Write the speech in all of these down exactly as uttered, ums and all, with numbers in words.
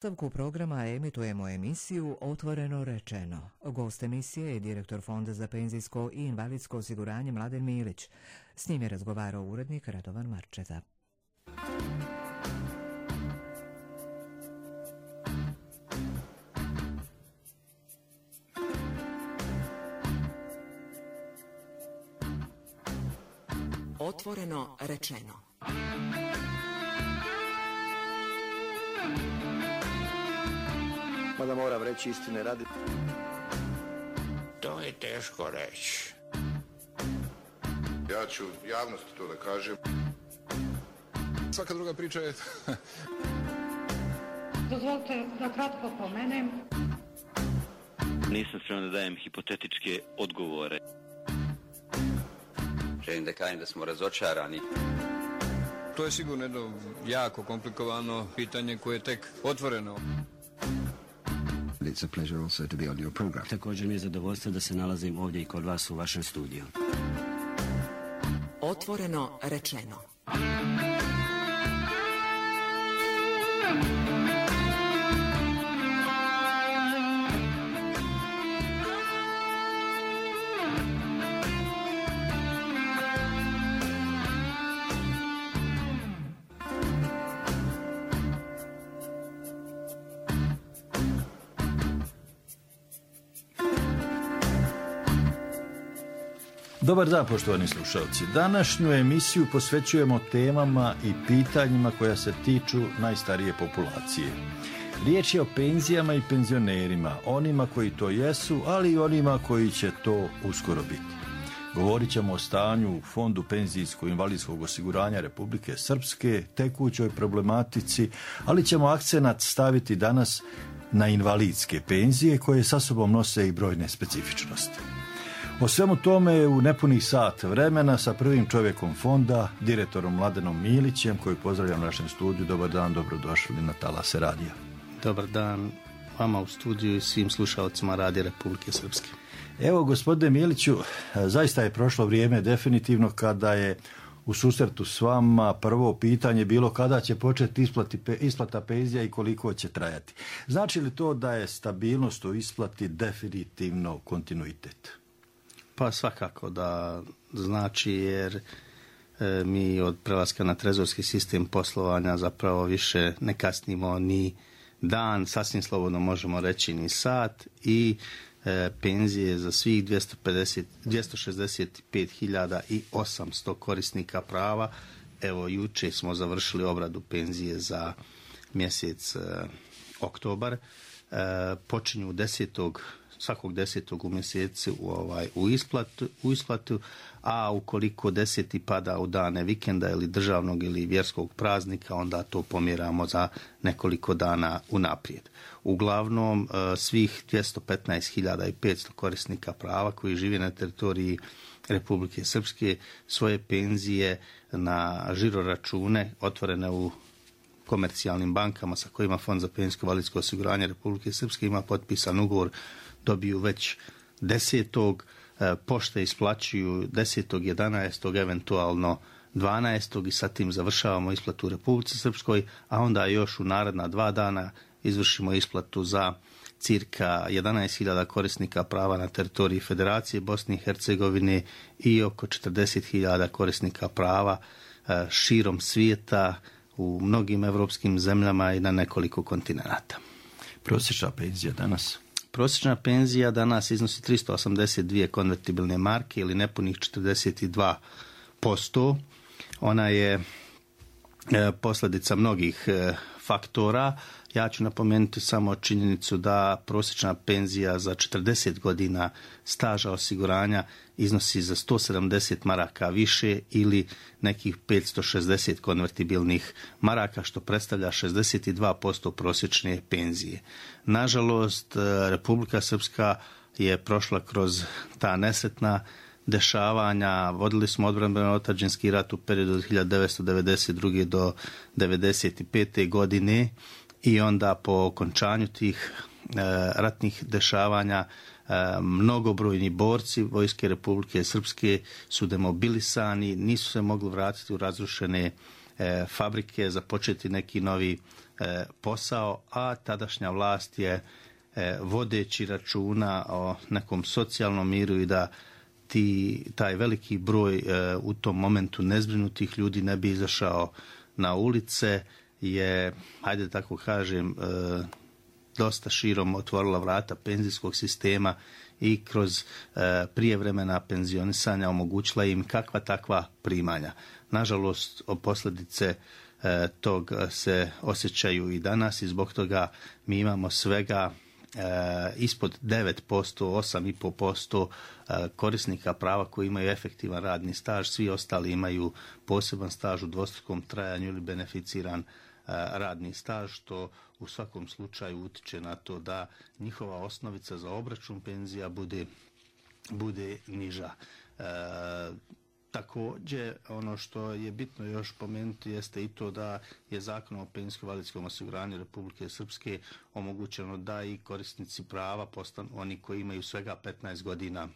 U nastavku programa emitujemo emisiju Otvoreno rečeno. Gost emisije je direktor Fonda za penzijsko i invalidsko osiguranje Mladen Milić. S njim je razgovarao urednik Radovan Marčeta. Otvoreno rečeno. Mada moram reći istine radi. To je teško reći. Ja ću javnosti to da kažem. Svaka druga priča je... Dozvolite da kratko pomenem. Nisam spreman da dajem hipotetičke odgovore. Želim da kažem da smo razočarani. To je sigurno jedno jako komplikovano pitanje koje je tek otvoreno. It's a pleasure also to be on your program. Također mi je zadovoljstvo da se nalazim ovdje i kod vas u vašem studiju. Otvoreno rečeno. Dobar dan, poštovani slušalci. Današnju emisiju posvećujemo temama i pitanjima koja se tiču najstarije populacije. Riječ je o penzijama i penzionerima, onima koji to jesu, ali i onima koji će to uskoro biti. Govorit ćemo o stanju u Fondu penzijsko-invalidskog osiguranja Republike Srpske, tekućoj problematici, ali ćemo akcenat staviti danas na invalidske penzije koje sa sobom nose i brojne specifičnosti. O svemu tome u nepunih sat vremena sa prvim čovjekom fonda, direktorom Mladenom Milićem, koji pozdravljam u našem studiju. Dobar dan, dobrodošli na talase radija. Dobar dan vama u studiju i svim slušalcima Radija Republike Srpske. Evo, gospodine Miliću, zaista je prošlo vrijeme definitivno kada je u susretu s vama prvo pitanje bilo kada će početi isplati, isplata penzija i koliko će trajati. Znači li to da je stabilnost u isplati definitivno kontinuitet? Pa svakako da znači, jer e, mi od prelaska na trezorski sistem poslovanja zapravo više ne kasnimo ni dan, sasvim slobodno možemo reći ni sat, i e, penzije za svih dvjesto pedeset, dvjesto šezdeset pet hiljada osamsto korisnika prava. Evo, juče smo završili obradu penzije za mjesec e, oktobar. E, počinju desetog svakog desetog u mjesecu u, ovaj, u, isplatu, u isplatu, a ukoliko deseti pada u dane vikenda ili državnog ili vjerskog praznika, onda to pomjeramo za nekoliko dana unaprijed. Uglavnom, svih dvjesto petnaest hiljada petsto korisnika prava koji žive na teritoriji Republike Srpske svoje penzije na žiro račune otvorene u komercijalnim bankama sa kojima Fond za penzijsko invalidsko osiguranje Republike Srpske ima potpisan ugovor, dobiju već desetog, pošte isplaćuju desetog, jedanaestog, eventualno dvanaestog i sa tim završavamo isplatu u Republici Srpskoj, a onda još u naredna dva dana izvršimo isplatu za cirka jedanaest hiljada korisnika prava na teritoriji Federacije Bosne i Hercegovine i oko četrdeset hiljada korisnika prava širom svijeta u mnogim evropskim zemljama i na nekoliko kontinenata. Prosječna penzija danas? Prosječna penzija danas iznosi tristo osamdeset dvije konvertibilne marke ili nepunih četrdeset dva posto. Ona je e, posljedica mnogih e, faktora. Ja ću napomenuti samo činjenicu da prosječna penzija za četrdeset godina staža osiguranja iznosi za sto sedamdeset maraka više ili nekih petsto šezdeset konvertibilnih maraka, što predstavlja šezdeset dva posto prosječne penzije. Nažalost, Republika Srpska je prošla kroz ta nesretna dešavanja. Vodili smo odbrambeno otadžbinski rat u periodu od hiljadu devetsto devedeset druge do devedeset pete godine i onda po okončanju tih e, ratnih dešavanja e, mnogobrojni borci Vojske Republike Srpske su demobilisani, nisu se mogli vratiti u razrušene e, fabrike, započeti neki novi e, posao, a tadašnja vlast je e, vodeći računa o nekom socijalnom miru i da ti, taj veliki broj e, u tom momentu nezbrinutih ljudi ne bi izašao na ulice, je, hajde tako kažem, e, dosta širom otvorila vrata penzijskog sistema i kroz e, prijevremena penzionisanja omogućila im kakva takva primanja. Nažalost, posljedice e, tog se osjećaju i danas i zbog toga mi imamo svega e, ispod devet posto, osam i pol posto e, korisnika prava koji imaju efektivan radni staž, svi ostali imaju poseban staž u dvostrukom trajanju ili beneficiran radni staž, što u svakom slučaju utiče na to da njihova osnovica za obračun penzija bude, bude niža. E, također, ono što je bitno još pomenuti jeste i to da je Zakonom o penzijsko-invalidskom osiguranju Republike Srpske omogućeno da i korisnici prava postanu oni koji imaju svega petnaest godina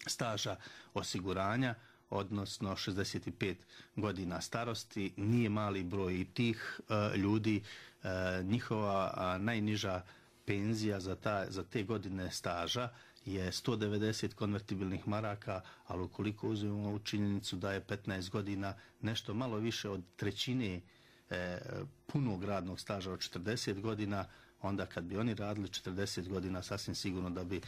staža osiguranja, odnosno šezdeset pet godina starosti. Nije mali broj i tih e, ljudi. E, njihova a, najniža penzija za, ta, za te godine staža je sto devedeset konvertibilnih maraka, ali ukoliko uzmemo u činjenicu da je petnaest godina nešto malo više od trećine e, punog radnog staža od četrdeset godina, onda kad bi oni radili četrdeset godina, sasvim sigurno da bi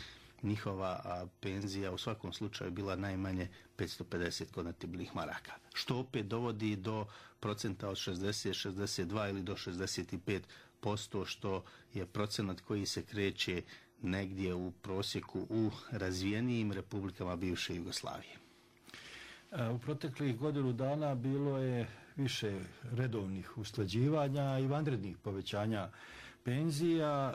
njihova a, penzija u svakom slučaju bila najmanje petsto pedeset konvertibilnih maraka. Što opet dovodi do procenta od šezdeset, šezdeset dva ili do šezdeset pet posto, što je procenat koji se kreće negdje u prosjeku u razvijenijim republikama bivše Jugoslavije. U proteklih godinu dana bilo je više redovnih usklađivanja i vanrednih povećanja penzija,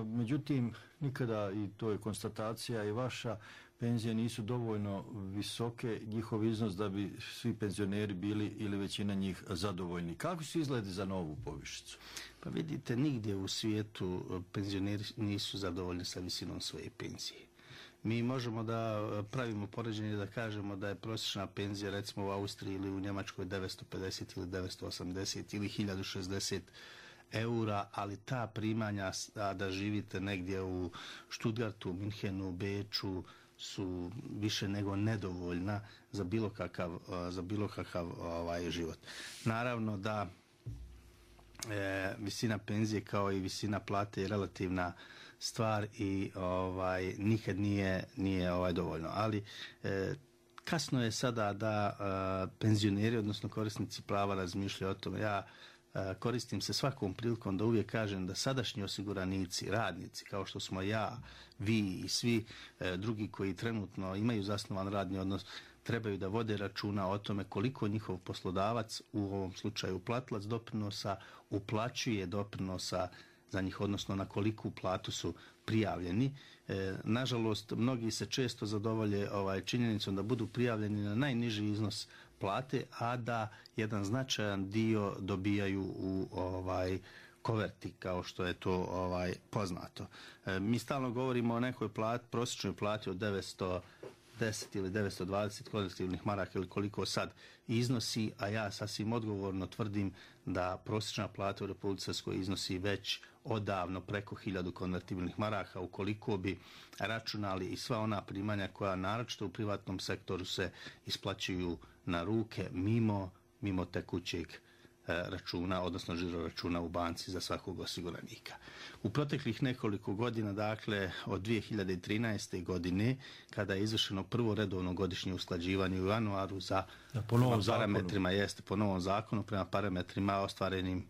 međutim nikada, i to je konstatacija i vaša, penzije nisu dovoljno visoke, njihov iznos da bi svi penzioneri bili ili većina njih zadovoljni. Kako su izgledi za novu povišicu? Pa vidite, nigdje u svijetu penzioneri nisu zadovoljni sa visinom svoje penzije. Mi možemo da pravimo poređenje da kažemo da je prosječna penzija recimo u Austriji ili u Njemačkoj devetsto pedeset ili devetsto osamdeset ili hiljadu šezdeset eura, ali ta primanja a da živite negdje u Stuttgartu, Minhenu, Beču su više nego nedovoljna za bilo kakav, za bilo kakav ovaj, život. Naravno da e, visina penzije kao i visina plate je relativna stvar i ovaj, nikad nije, nije ovaj, dovoljno. Ali e, kasno je sada da e, penzioneri, odnosno korisnici prava razmišljaju o tome. Ja koristim se svakom prilikom da uvijek kažem da sadašnji osiguranici, radnici, kao što smo ja, vi i svi e, drugi koji trenutno imaju zasnovan radni odnos, trebaju da vode računa o tome koliko njihov poslodavac, u ovom slučaju platilac doprinosa, uplaćuje doprinosa za njih, odnosno na koliku platu su prijavljeni. E, nažalost, mnogi se često zadovolje ovaj, činjenicom da budu prijavljeni na najniži iznos plate, a da jedan značajan dio dobijaju u ovaj koverti, kao što je to ovaj poznato. E, mi stalno govorimo o nekoj plati, prosječnoj plati od devetsto deset ili devetsto dvadeset konvertibilnih maraka ili koliko sad iznosi, a ja sasvim odgovorno tvrdim da prosječna plata u Republici Srpskoj iznosi već odavno preko hiljadu konvertibilnih maraka, ukoliko bi računali i sva ona primanja koja naročito u privatnom sektoru se isplaćuju na ruke mimo, mimo tekućeg računa, odnosno žiro računa u banci za svakog osiguranika. U proteklih nekoliko godina, dakle od dvije hiljade trinaeste. godine, kada je izvršeno prvo redovno godišnje usklađivanje u januaru za ja, po novom parametrima, jeste po novom zakonu, prema parametrima ostvarenim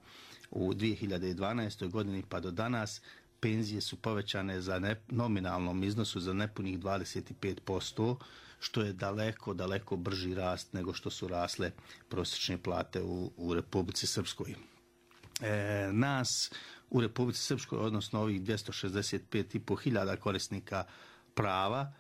u dvije hiljade dvanaestoj. godini pa do danas, penzije su povećane za ne, nominalnom iznosu za nepunih dvadeset pet posto, što je daleko, daleko brži rast nego što su rasle prosječne plate u, u Republici Srpskoj. E, nas u Republici Srpskoj, odnosno ovih dvjesto šezdeset pet i po hiljada korisnika prava,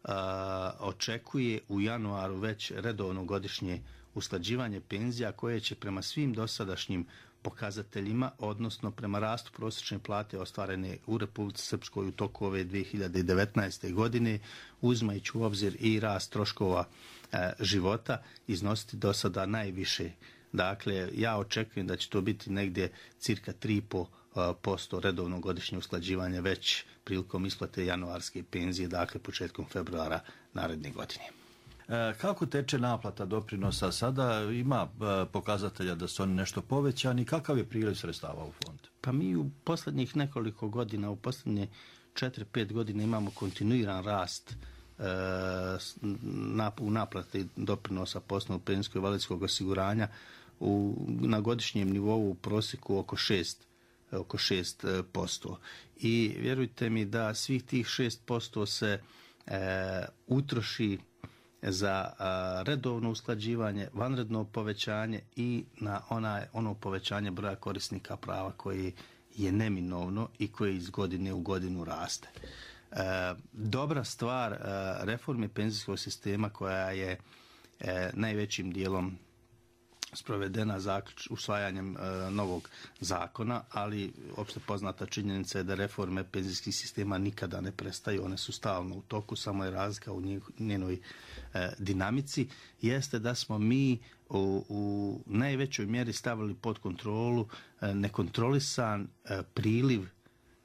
a, očekuje u januaru već redovno godišnje usklađivanje penzija koje će prema svim dosadašnjim pokazateljima, odnosno prema rastu prosječne plate ostvarene u Republici Srpskoj u toku ove dvije hiljade devetnaeste. godine, uzimajući u obzir i rast troškova e, života, iznositi do sada najviše Dakle, ja očekujem da će to biti negdje cirka tri i pol posto redovnog godišnje usklađivanje već prilikom isplate januarske penzije, dakle početkom februara naredne godine. Kako teče naplata doprinosa sada? Ima pokazatelja da su oni nešto povećani. Kakav je priliv sredstava u fond? Pa mi u posljednjih nekoliko godina, u posljednje četiri pet godina imamo kontinuiran rast u naplati doprinosa po osnovu penzijskog i invalidskog osiguranja u, na godišnjem nivou u prosjeku oko šest oko šest posto. I vjerujte mi da svih tih šest posto se e, utroši za a, redovno usklađivanje, vanredno povećanje i na ona, ono povećanje broja korisnika prava koji je neminovno i koji iz godine u godinu raste. E, dobra stvar e, reforme penzijskog sistema koja je e, najvećim dijelom sprovedena zaključ, usvajanjem e, novog zakona, ali opšte poznata činjenica je da reforme penzijskih sistema nikada ne prestaju, one su stalno u toku, samo je razlika u njenoj e, dinamici, jeste da smo mi u, u najvećoj mjeri stavili pod kontrolu e, nekontrolisan e, priliv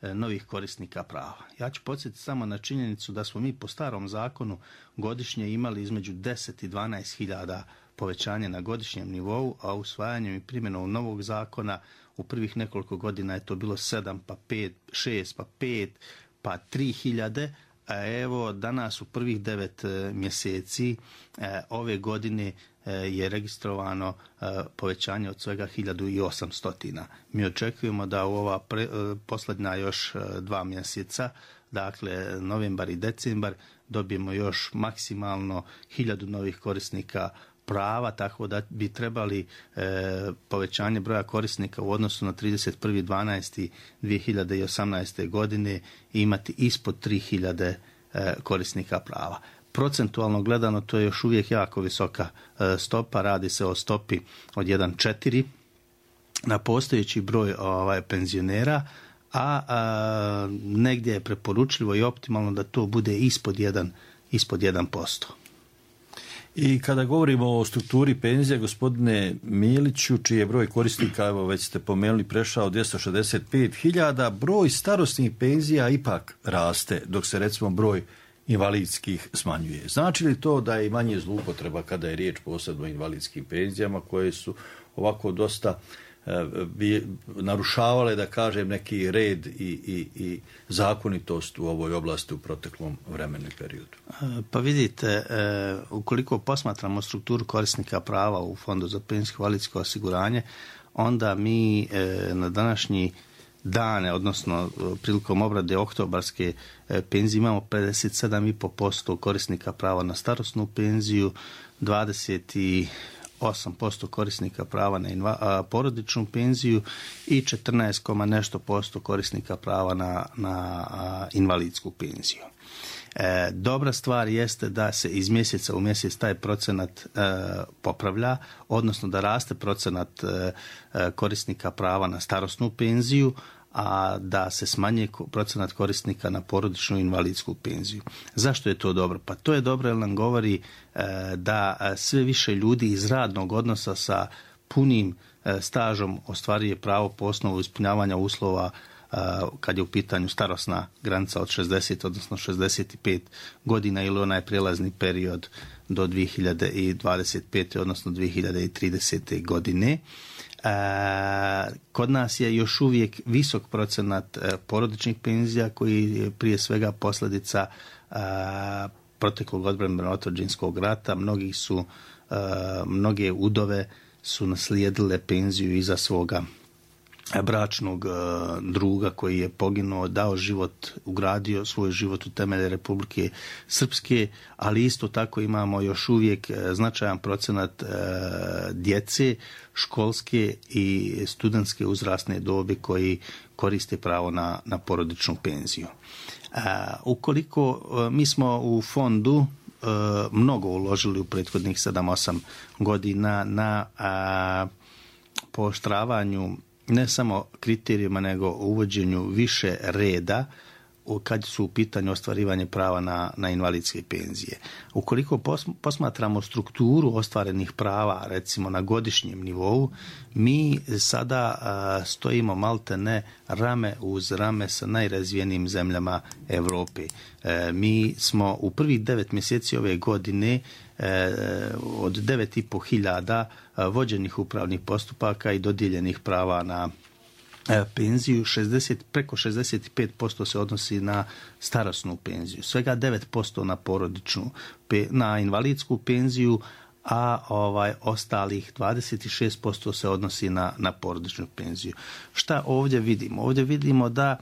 e, novih korisnika prava. Ja ću podsjetiti samo na činjenicu da smo mi po starom zakonu godišnje imali između deset i dvanaest hiljada povećanje na godišnjem nivou, a usvajanjem i primjenom novog zakona u prvih nekoliko godina je to bilo sedam, pa pet, šest, pa pet, pa tri hiljade, a evo danas u prvih devet mjeseci e, ove godine e, je registrovano e, povećanje od svega hiljadu i osamsto. Mi očekujemo da u ova pre, e, posljednja još e, dva mjeseca, dakle novembar i decembar, dobijemo još maksimalno hiljadu novih korisnika prava, tako da bi trebali e, povećanje broja korisnika u odnosu na trideset prvi dvanaesti dvije hiljade osamnaeste. godine imati ispod tri hiljade e, korisnika prava. Procentualno gledano to je još uvijek jako visoka e, stopa, radi se o stopi od jedan zarez četiri na postojeći broj ovaj, penzionera, a, a negdje je preporučljivo i optimalno da to bude ispod jedan, ispod jedan posto. I kada govorimo o strukturi penzija, gospodine Miliću, čiji je broj korisnika, evo već ste pomenuli, prešao dvjesto šezdeset pet hiljada, broj starosnih penzija ipak raste, dok se recimo broj invalidskih smanjuje. Znači li to da je manje zloupotreba kada je riječ posebno o invalidskim penzijama koje su ovako dosta bi narušavale, da kažem, neki red i, i, i zakonitost u ovoj oblasti u proteklom vremenu i periodu? Pa vidite, ukoliko posmatramo strukturu korisnika prava u Fondu za penzijsko i invalidsko osiguranje, onda mi na današnji dane, odnosno prilikom obrade oktobarske penzije, imamo pedeset sedam zarez pet posto korisnika prava na starosnu penziju, dvadeset osam posto korisnika prava na inva, a, porodičnu penziju i četrnaest, nešto posto korisnika prava na, na a, invalidsku penziju. E, dobra stvar jeste da se iz mjeseca u mjesec taj procenat e, popravlja, odnosno da raste procenat e, korisnika prava na starosnu penziju, a da se smanjuje procenat korisnika na porodičnu invalidsku penziju. Zašto je to dobro? Pa to je dobro jer nam govori e, da sve više ljudi iz radnog odnosa sa punim e, stažom ostvaruje pravo po osnovu ispunjavanja uslova e, kad je u pitanju starosna granica od šezdeset, odnosno šezdeset pet godina ili onaj prijelazni period do dvije hiljade dvadeset pete. odnosno dvije hiljade tridesete. godine. E, kod nas je još uvijek visok procenat e, porodičnih penzija koji je prije svega posljedica e, proteklog odbrambeno-otuđinskog rata. Mnogi su, e, mnoge udove su naslijedile penziju iza svoga bračnog e, druga koji je poginuo, dao život, ugradio svoj život u temelje Republike Srpske, ali isto tako imamo još uvijek značajan procenat e, djece školske i studentske uzrasne dobi koji koriste pravo na, na porodičnu penziju. E, ukoliko e, mi smo u fondu e, mnogo uložili u prethodnih sedam osam godina na a, pooštravanju ne samo kriterijima, nego uvođenju više reda kad su u pitanju ostvarivanje prava na, na invalidske penzije. Ukoliko posmatramo strukturu ostvarenih prava, recimo na godišnjem nivou, mi sada a, stojimo malte ne rame uz rame sa najrazvijenijim zemljama Europe. E, mi smo u prvih devet mjeseci ove godine e, od devet i po hiljada vođenih upravnih postupaka i dodijeljenih prava na penziju, šezdeset, preko šezdeset pet posto se odnosi na starosnu penziju, svega devet posto na porodičnu, na invalidsku penziju, a ovaj ostalih dvadeset šest posto se odnosi na, na porodičnu penziju. Šta ovdje vidimo? Ovdje vidimo da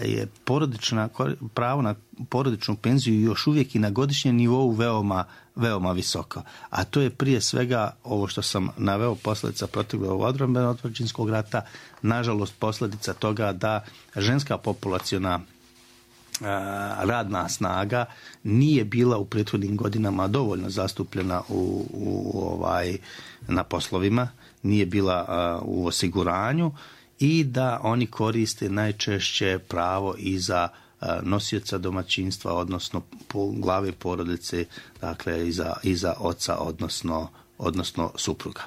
je porodična, pravo na porodičnu penziju još uvijek i na godišnjem nivou veoma, veoma visoko. A to je prije svega ovo što sam naveo, posljedica proteklog odbrambeno-otadžbinskog rata, nažalost posljedica toga da ženska populaciona radna snaga nije bila u prethodnim godinama dovoljno zastupljena u, u ovaj na poslovima, nije bila uh, u osiguranju i da oni koriste najčešće pravo i za uh, nosioca domaćinstva, odnosno po glave porodice, dakle i za, i za oca, odnosno, odnosno supruga.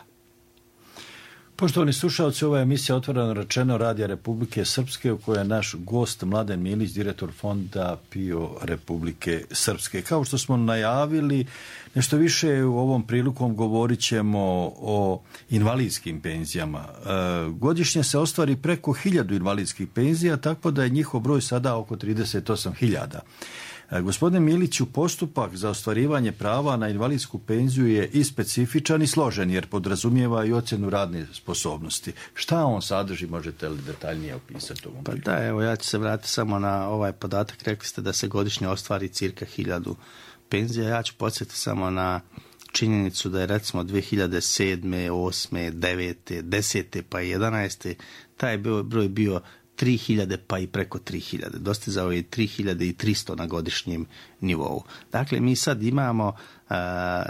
Poštovani slušalci, ova je emisija Otvoreno rečeno Radija Republike Srpske, u kojoj je naš gost Mladen Milić, direktor fonda P I O Republike Srpske. Kao što smo najavili, nešto više u ovom prilikom govorit ćemo o invalidskim penzijama. Godišnje se ostvari preko hiljadu invalidskih penzija, tako da je njihov broj sada oko trideset osam hiljada. Gospodine Miliću, postupak za ostvarivanje prava na invalidsku penziju je i specifičan i složen, jer podrazumijeva i ocjenu radne sposobnosti. Šta on sadrži, možete li detaljnije opisati ovom? Pa da, evo, ja ću se vratiti samo na ovaj podatak. Rekli ste da se godišnje ostvari cirka hiljadu penzija. Ja ću podsjetiti samo na činjenicu da je recimo dvije hiljade sedme, osme, devete, desete pa jedanaeste taj broj bio tri hiljade pa i preko tri hiljade. Dostizao je tri hiljade tristo na godišnjem nivou. Dakle, mi sad imamo uh,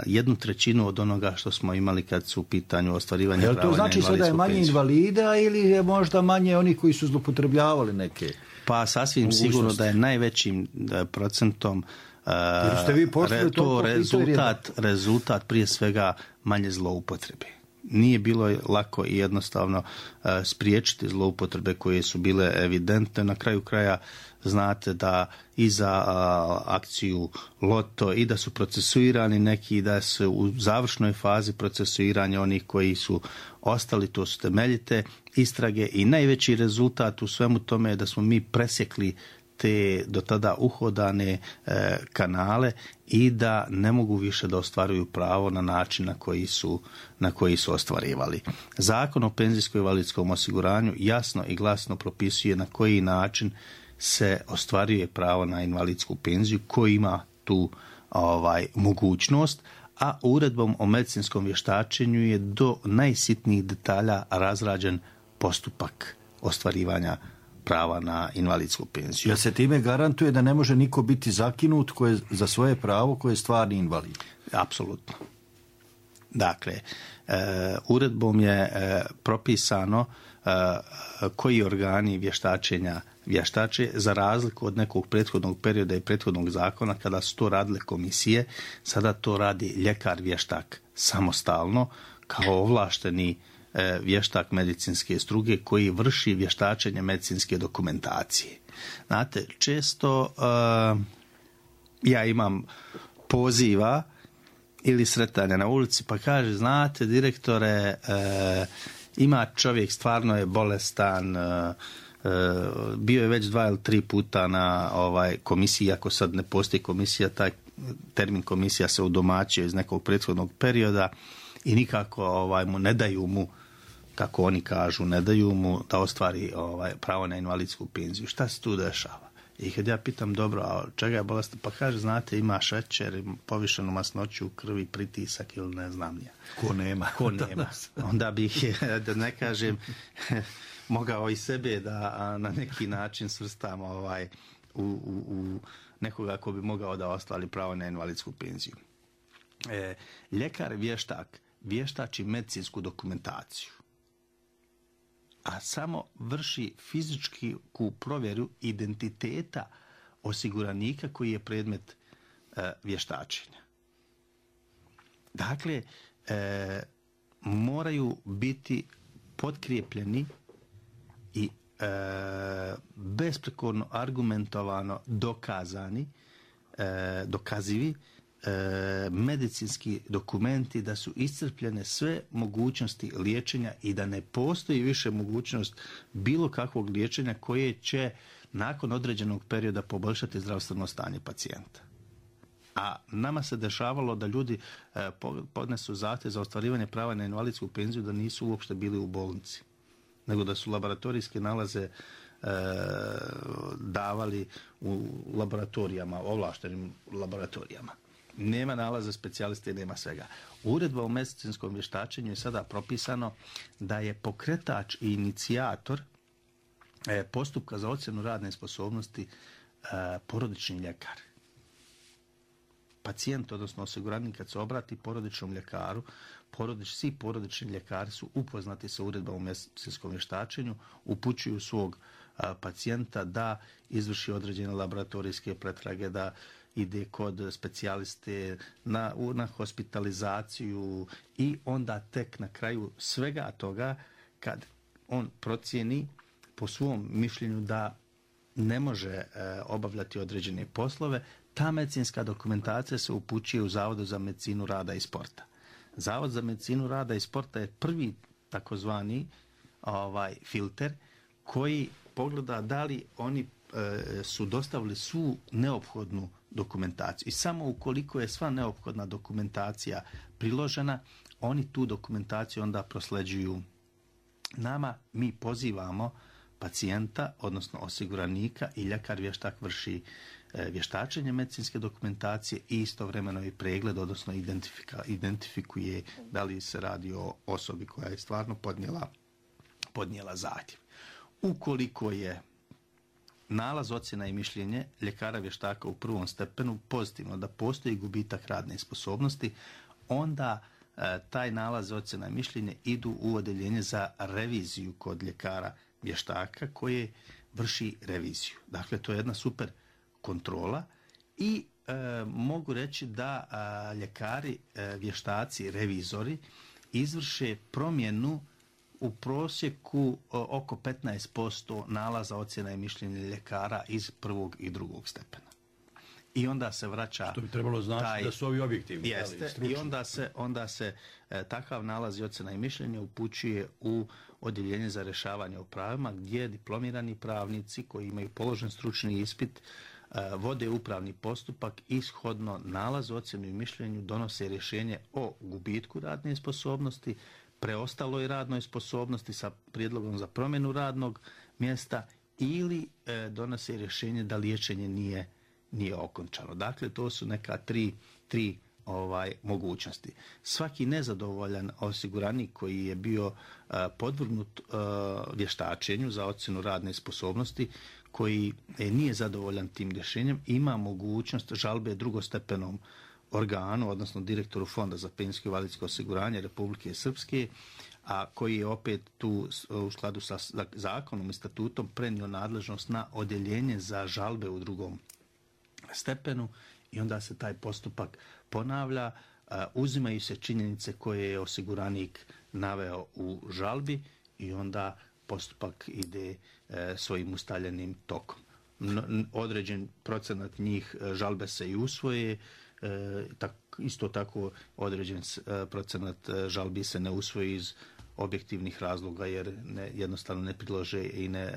jednu trećinu od onoga što smo imali kad su u pitanju ostvarivanje prava na invalidsku penziju. To znači sada je manje invalida ili je možda manje oni koji su zloupotrebljavali neke? Pa sasvim sigurno da je najvećim da, procentom uh, re, to rezultat, rezultat prije svega manje zloupotrebe. Nije bilo lako i jednostavno uh, spriječiti zloupotrebe koje su bile evidentne. Na kraju kraja znate da i za uh, akciju Loto i da su procesuirani neki, da su u završnoj fazi procesuiranja onih koji su ostali, to su temeljite istrage i najveći rezultat u svemu tome je da smo mi presjekli te do tada uhodane e, kanale i da ne mogu više da ostvaruju pravo na način na koji su, na koji su ostvarivali. Zakon o penzijsko-invalidskom osiguranju jasno i glasno propisuje na koji način se ostvaruje pravo na invalidsku penziju, ko ima tu ovaj, mogućnost, a uredbom o medicinskom vještačenju je do najsitnijih detalja razrađen postupak ostvarivanja prava na invalidsku penziju. Jer se time garantuje da ne može niko biti zakinut koje, za svoje pravo koje je stvarni invalid? Apsolutno. Dakle, e, uredbom je e, propisano e, koji organi vještačenja vještače, za razliku od nekog prethodnog perioda i prethodnog zakona kada su to radile komisije, sada to radi ljekar vještak samostalno kao ovlašteni vještak medicinske struke koji vrši vještačenje medicinske dokumentacije. Znate, često uh, ja imam poziva ili sretanja na ulici pa kaže, znate direktore, uh, ima čovjek, stvarno je bolestan, uh, uh, bio je već dva ili tri puta na ovaj komisiji, ako sad ne postoji komisija, taj termin komisija se udomaćio iz nekog prethodnog perioda i nikako ovaj, mu ne daju mu, kako oni kažu, ne daju mu da ostvari ovaj, pravo na invalidsku penziju. Šta se tu dešava? I kad ja pitam, dobro, a čega je bolestan? Pa kaže, znate, ima šećer, povišenu masnoću u krvi, pritisak ili ne znam ja. Ko nema. Ko nema. Onda bih, da ne kažem, mogao i sebe da na neki način svrstam ovaj, u, u, u nekoga ko bi mogao da ostvari pravo na invalidsku penziju. E, ljekar vještak vještači medicinsku dokumentaciju, a samo vrši fizičku provjeru identiteta osiguranika koji je predmet e, vještačenja. Dakle, e, moraju biti potkrijepljeni i e, besprekorno argumentovano dokazani, e, dokazivi e, medicinski dokumenti da su iscrpljene sve mogućnosti liječenja i da ne postoji više mogućnost bilo kakvog liječenja koje će nakon određenog perioda poboljšati zdravstveno stanje pacijenta. A nama se dešavalo da ljudi e, podnesu zahtjev za ostvarivanje prava na invalidsku penziju da nisu uopšte bili u bolnici, nego da su laboratorijske nalaze e, davali u laboratorijama, ovlaštenim laboratorijama. Nema nalaza specijaliste i nema svega. Uredba o medicinskom vještačenju je sada propisano da je pokretač i inicijator e, postupka za ocjenu radne sposobnosti e, porodični ljekar. Pacijent, odnosno osiguranik, kad se obrati porodičnom ljekaru, porodič, svi porodični ljekari su upoznati sa uredbom o medicinskom vještačenju, upućuju svog a, pacijenta da izvrši određene laboratorijske pretrage, da ide kod specijaliste na, na hospitalizaciju i onda tek na kraju svega toga, kad on procijeni po svom mišljenju da ne može e, obavljati određene poslove, ta medicinska dokumentacija se upućuje u Zavodu za medicinu rada i sporta. Zavod za medicinu rada i sporta je prvi takozvani ovaj, filter koji pogleda da li oni e, su dostavili svu neophodnu dokumentaciju. I samo ukoliko je sva neophodna dokumentacija priložena, oni tu dokumentaciju onda prosleđuju nama. Mi pozivamo pacijenta, odnosno osiguranika, i ljekar vještak vrši e, vještačenje medicinske dokumentacije i istovremeno i pregled, odnosno identifika, identifikuje da li se radi o osobi koja je stvarno podnijela, podnijela zahtjev. Ukoliko je nalaz, ocjena i mišljenje ljekara vještaka u prvom stepenu pozitivno da postoji gubitak radne sposobnosti, onda e, taj nalaz, ocjena i mišljenje idu u odeljenje za reviziju kod ljekara vještaka koje vrši reviziju. Dakle, to je jedna super kontrola i e, mogu reći da a, ljekari, e, vještaci, revizori izvrše promjenu u prosjeku o, oko petnaest posto nalaza, ocjena i mišljenja ljekara iz prvog i drugog stepena. I onda se vraća... Što bi trebalo znači taj, da su ovi objektivni. Jeste, i onda se, onda se e, takav nalaz i ocjena i mišljenje upućuje u odjeljenje za rješavanje o pravima, gdje diplomirani pravnici koji imaju položen stručni ispit e, vode upravni postupak i shodno nalazu, ocjenu i mišljenju donose rješenje o gubitku radne sposobnosti, preostaloj radnoj sposobnosti sa prijedlogom za promjenu radnog mjesta ili e, donose rješenje da liječenje nije nije okončano. Dakle, to su neka tri, tri ovaj, mogućnosti. Svaki nezadovoljan osiguranik koji je bio uh, podvrgnut uh, vještačenju za ocjenu radne sposobnosti, koji e, nije zadovoljan tim rješenjem, ima mogućnost žalbe drugostepenom organu, odnosno direktoru Fonda za penzijsko i invalidsko osiguranje Republike Srpske, a koji je opet tu u skladu sa zakonom i statutom prenio nadležnost na odjeljenje za žalbe u drugom stepenu i onda se taj postupak ponavlja, uzimaju se činjenice koje je osiguranik naveo u žalbi i onda postupak ide svojim ustaljenim tokom. Određen procenat njih žalbe se i usvoje, isto tako određen procenat žalbi se ne usvoji iz objektivnih razloga jer ne, jednostavno ne prilože i ne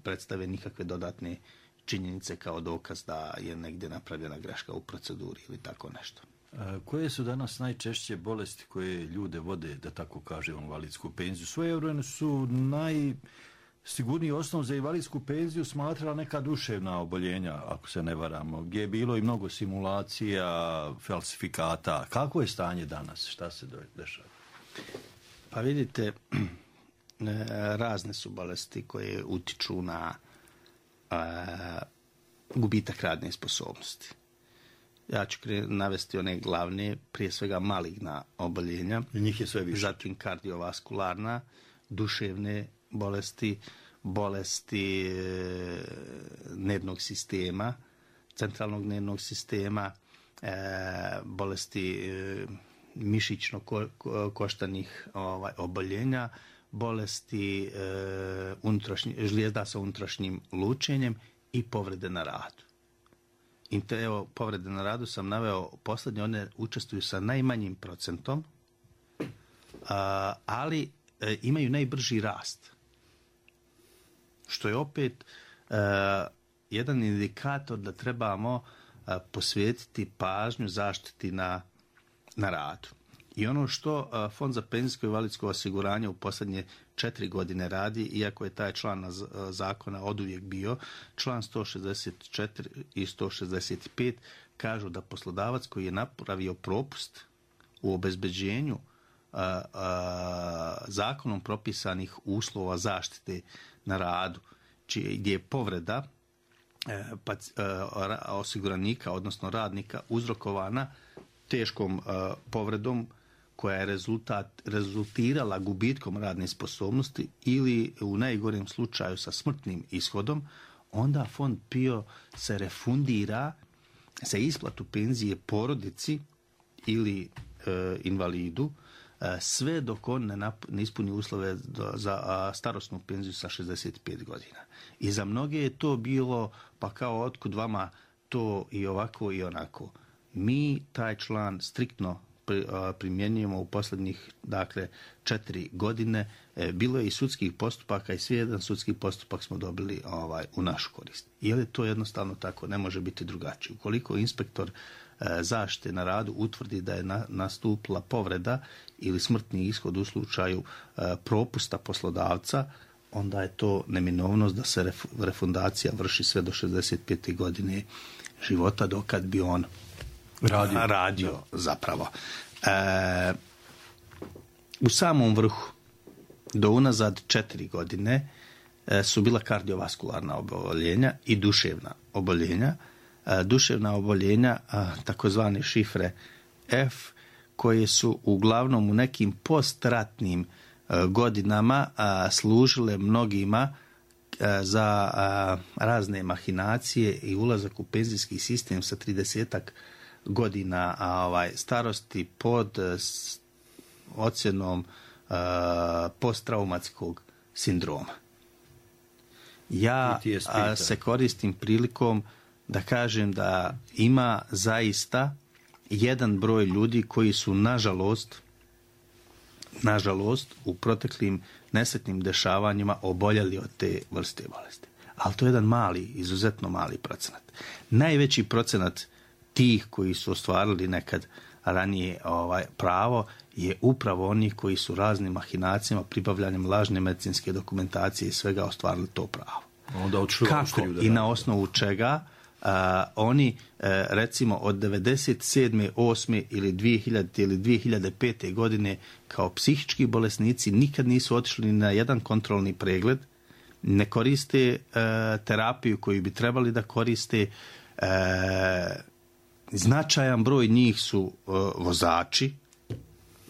predstave nikakve dodatne činjenice kao dokaz da je negdje napravljena greška u proceduri ili tako nešto. A koje su danas najčešće bolesti koje ljude vode, da tako kaže, u invalidsku penziju? Svojevremeno su najsigurniji osnov za invalidsku penziju smatrala neka duševna oboljenja, ako se ne varamo, gdje je bilo i mnogo simulacija, falsifikata. Kako je stanje danas? Šta se dešava? Pa vidite, razne su bolesti koje utiču na a, gubitak radne sposobnosti. Ja ću navesti one glavne, prije svega maligna oboljenja. I njih je sve više. Zatim kardiovaskularna, duševne bolesti, bolesti e, nervnog sistema, centralnog nervnog sistema, e, bolesti e, mišićno-koštanih ovaj, oboljenja, bolesti e, žlijezda sa unutrašnjim lučenjem i povrede na radu. I te, evo, povrede na radu sam naveo posljednje, one učestvuju sa najmanjim procentom, a, ali e, imaju najbrži rast. Što je opet e, jedan indikator da trebamo e, posvetiti pažnju zaštiti na, na radu. I ono što e, Fond za penzijsko i invalidsko osiguranje u posljednje četiri godine radi, iako je taj član zakona oduvijek bio, član sto šezdeset četiri i sto šezdeset pet kažu da poslodavac koji je napravio propust u obezbeđenju a, a, zakonom propisanih uslova zaštite na radu, čije, gdje je povreda e, pa, e, osiguranika, odnosno radnika, uzrokovana teškom e, povredom koja je rezultat, rezultirala gubitkom radne sposobnosti ili u najgorem slučaju sa smrtnim ishodom, onda fond P I O se refundira za isplatu penzije porodici ili e, invalidu e, sve dok on ne, nap, ne ispuni uslove do, za a, starosnu penziju sa šezdeset pet godina. I za mnoge je to bilo, pa kao otkud vama to i ovako i onako. Mi taj član striktno primjenjujemo u posljednjih, dakle, četiri godine. E, bilo je i sudskih postupaka i svi jedan sudski postupak smo dobili ovaj, u našu korist. Jer je to jednostavno tako, ne može biti drugačije. Ukoliko inspektor e, zaštite na radu utvrdi da je na, nastupila povreda ili smrtni ishod u slučaju e, propusta poslodavca, onda je to neminovnost da se ref, refundacija vrši sve do šezdeset pete godine života, dokad bi on radio, radio zapravo. E, u samom vrhu do unazad četiri godine e, su bila kardiovaskularna oboljenja i duševna oboljenja. E, duševna oboljenja, a, takozvane šifre F, koje su uglavnom u nekim postratnim a, godinama a, služile mnogima a, za a, razne mahinacije i ulazak u penzijski sistem sa tridesetak godina a, ovaj, starosti pod s, ocjenom a, posttraumatskog sindroma. Ja a, se koristim prilikom da kažem da ima zaista jedan broj ljudi koji su nažalost nažalost u proteklim nesretnim dešavanjima oboljeli od te vrste bolesti. Ali to je jedan mali, izuzetno mali procenat. Najveći procenat tih koji su ostvarili nekad ranije ovaj pravo je upravo oni koji su raznim mahinacijama, pribavljanjem lažne medicinske dokumentacije i svega ostvarili to pravo. Onda kako i na osnovu čega uh, oni uh, recimo od devedeset sedme, osme ili dvije hiljadite ili dvije hiljade pete godine kao psihički bolesnici nikad nisu otišli na jedan kontrolni pregled, ne koriste uh, terapiju koju bi trebali da koriste. Uh, značajan broj njih su uh, vozači,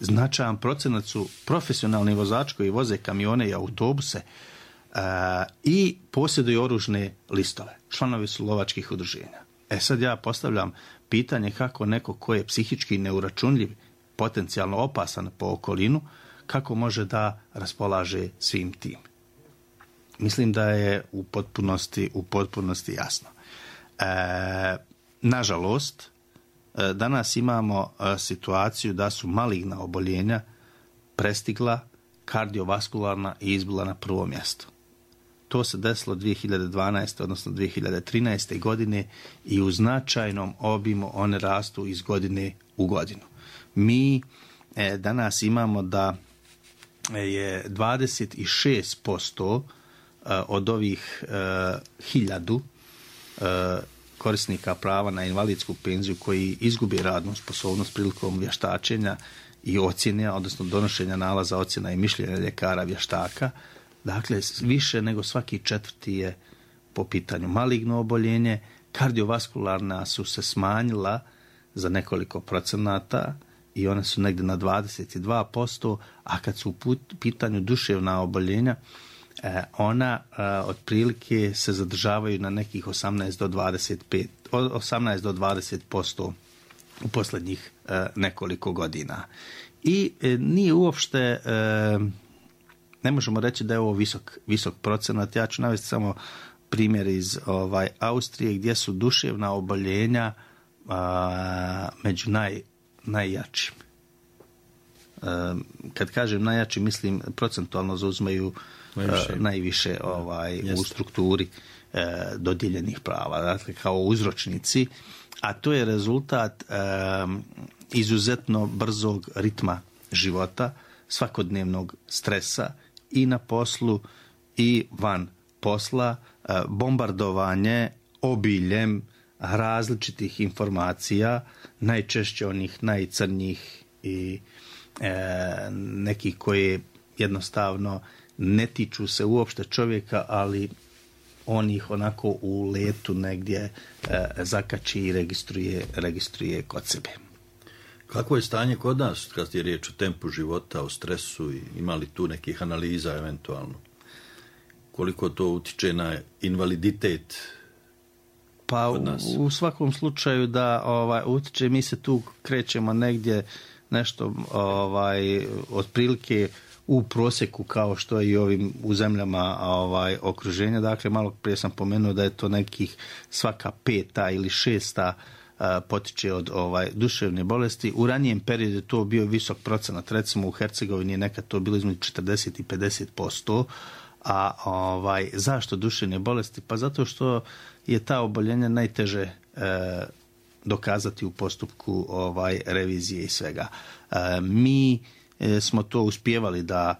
značajan procenat su profesionalni vozači koji voze kamione i autobuse uh, i posjeduju oružne listove. Članovi su lovačkih udruženja. E sad ja postavljam pitanje kako neko ko je psihički neuračunljiv, potencijalno opasan po okolinu, kako može da raspolaže svim tim. Mislim da je u potpunosti, u potpunosti jasno. E, nažalost, danas imamo situaciju da su maligna oboljenja prestigla kardiovaskularna i izbila na prvo mjesto. To se desilo dvije hiljade dvanaeste. odnosno dvije hiljade trinaeste. godine i u značajnom obimu one rastu iz godine u godinu. Mi e, danas imamo da je dvadeset šest posto od ovih e, hiljadu e, korisnika prava na invalidsku penziju koji izgubi radnu sposobnost prilikom vještačenja i ocjene, odnosno donošenja nalaza, ocjena i mišljenja ljekara vještaka. Dakle, više nego svaki četvrti je po pitanju maligno oboljenje. Kardiovaskularna su se smanjila za nekoliko procenata i one su negdje na dvadeset dva posto, a kad su u pitanju duševna oboljenja, ona otprilike se zadržavaju na nekih osamnaest do dvadeset pet, osamnaest do dvadeset posto u posljednjih nekoliko godina. I nije uopšte, ne možemo reći da je ovo visok, visok procenat. Ja ću navesti samo primjer iz ovaj, Austrije gdje su duševna oboljenja a, među naj, najjačim. A, kad kažem najjači, mislim procentualno zauzmaju najviše, a, najviše ovaj, u strukturi a, dodijeljenih prava, dakle kao uzročnici, a to je rezultat a, izuzetno brzog ritma života, svakodnevnog stresa i na poslu i van posla, bombardovanje obiljem različitih informacija, najčešće onih najcrnjih i e, nekih koje jednostavno ne tiču se uopšte čovjeka, ali on ih onako u letu negdje e, zakači i registruje, registruje kod sebe. Kako je stanje kod nas kad je riječ o tempu života, o stresu i ima li tu nekih analiza eventualno? Koliko to utiče na invaliditet pa kod nas? U, u svakom slučaju da ovaj, utiče, mi se tu krećemo negdje nešto ovaj, otprilike u prosjeku kao što je i ovim u zemljama ovaj, okruženja. Dakle, malo prije sam pomenuo da je to nekih svaka peta ili šesta potiče od ovaj, duševne bolesti. U ranijem periodu je to bio visok procenat. Recimo u Hercegovini je nekad to bilo između četrdeset i pedeset posto. A ovaj, zašto duševne bolesti? Pa zato što je ta oboljenja najteže e, dokazati u postupku ovaj, revizije i svega. E, mi e, smo to uspijevali da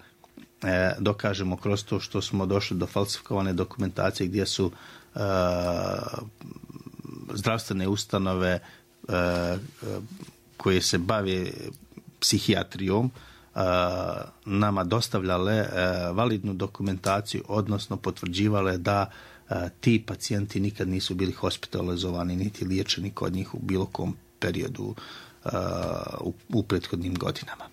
e, dokažemo kroz to što smo došli do falsifikovane dokumentacije gdje su e, zdravstvene ustanove e, koje se bave psihijatrijom nama dostavljale validnu dokumentaciju, odnosno potvrđivale da ti pacijenti nikad nisu bili hospitalizovani niti liječeni kod njih u bilo kom periodu u, u prethodnim godinama.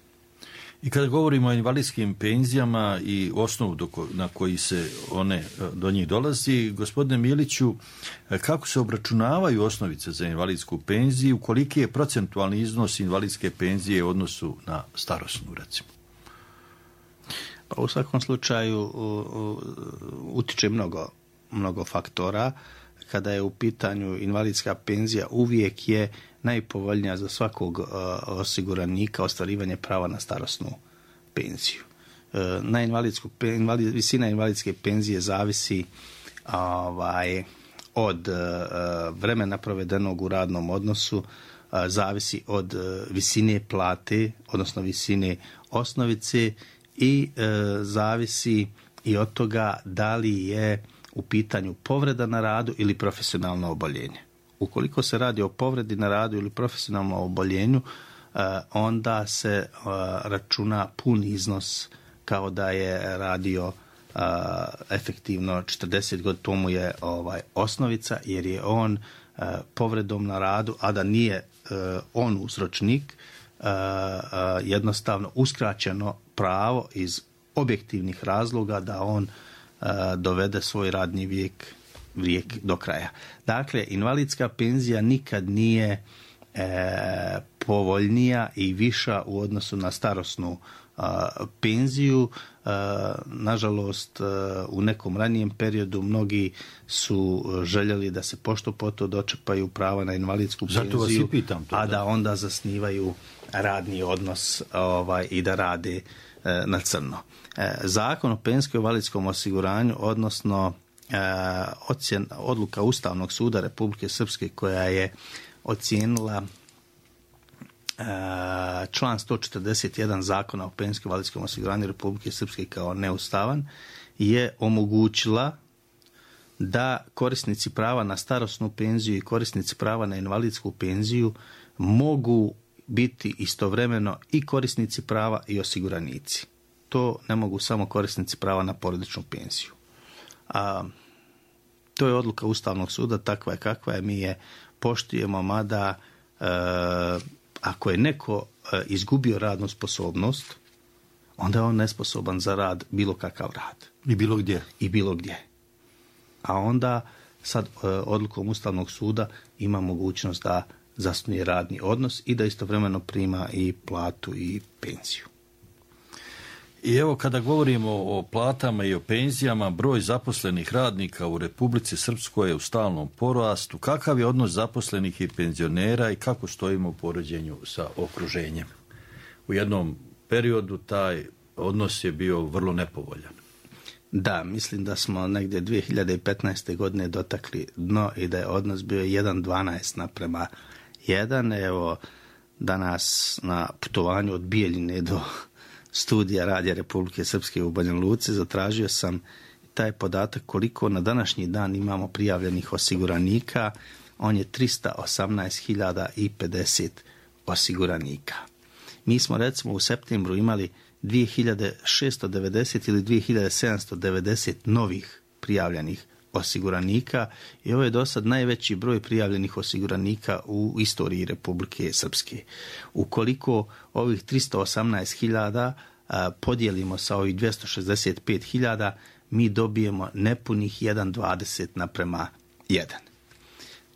I kada govorimo o invalidskim penzijama i osnovu do ko, na koji se one do njih dolazi, gospodine Miliću, kako se obračunavaju osnovice za invalidsku penziju, koliki je procentualni iznos invalidske penzije u odnosu na starosnu, recimo? Pa u svakom slučaju u, u, utiče mnogo, mnogo faktora. Kada je u pitanju invalidska penzija, uvijek je najpovoljnija za svakog uh, osiguranika ostvarivanje prava na starosnu penziju. Uh, na invalidsku, invalid, visina invalidske penzije zavisi ovaj, od uh, vremena provedenog u radnom odnosu, uh, zavisi od uh, visine plate, odnosno visine osnovice i uh, zavisi i od toga da li je u pitanju povreda na radu ili profesionalno oboljenje. Ukoliko se radi o povredi na radu ili profesionalnom oboljenju, onda se računa pun iznos kao da je radio efektivno četrdeset godina. To mu je ovaj, osnovica, jer je on povredom na radu, a da nije on uzročnik, jednostavno uskraćeno pravo iz objektivnih razloga da on dovede svoj radni vijek, vijek do kraja. Dakle, invalidska penzija nikad nije e, povoljnija i viša u odnosu na starosnu a, penziju. A, nažalost, a, u nekom ranijem periodu mnogi su željeli da se pošto poto dočepaju prava na invalidsku penziju, Zato vas i pitam to, a da da onda zasnivaju radni odnos ovaj, i da rade e, na crno. Zakon o penzijskom invalidskom osiguranju, odnosno ocjen, odluka Ustavnog suda Republike Srpske koja je ocijenila član sto četrdeset jedan Zakona o penzijskom invalidskom osiguranju Republike Srpske kao neustavan, je omogućila da korisnici prava na starosnu penziju i korisnici prava na invalidsku penziju mogu biti istovremeno i korisnici prava i osiguranici. To ne mogu samo korisnici prava na porodičnu penziju. A, to je odluka Ustavnog suda, takva je kakva je, mi je poštujemo, mada e, ako je neko e, izgubio radnu sposobnost, onda je on nesposoban za rad, bilo kakav rad. I bilo gdje. I bilo gdje. A onda sad odlukom Ustavnog suda ima mogućnost da zasnuje radni odnos i da istovremeno prima i platu i penziju. I evo kada govorimo o platama i o penzijama, broj zaposlenih radnika u Republici Srpskoj je u stalnom porastu. Kakav je odnos zaposlenih i penzionera i kako stojimo u poređenju sa okruženjem? U jednom periodu taj odnos je bio vrlo nepovoljan. Da, mislim da smo negdje dvije hiljade petnaeste. godine dotakli dno i da je odnos bio jedan dvanaest naprema jedan. Evo, danas na putovanju od Bijeljine do studija Radija Republike Srpske u Banja Luci zatražio sam taj podatak koliko na današnji dan imamo prijavljenih osiguranika. On je tristo osamnaest hiljada pedeset osiguranika. Mi smo recimo u septembru imali dvije hiljade šesto devedeset ili dvije hiljade sedamsto devedeset novih prijavljenih osiguranika i ovo je do sad najveći broj prijavljenih osiguranika u istoriji Republike Srpske. Ukoliko ovih tristo osamnaest hiljada podijelimo sa ovih dvjesto šezdeset pet hiljada, mi dobijemo nepunih jedan dvadeset naprema jedan.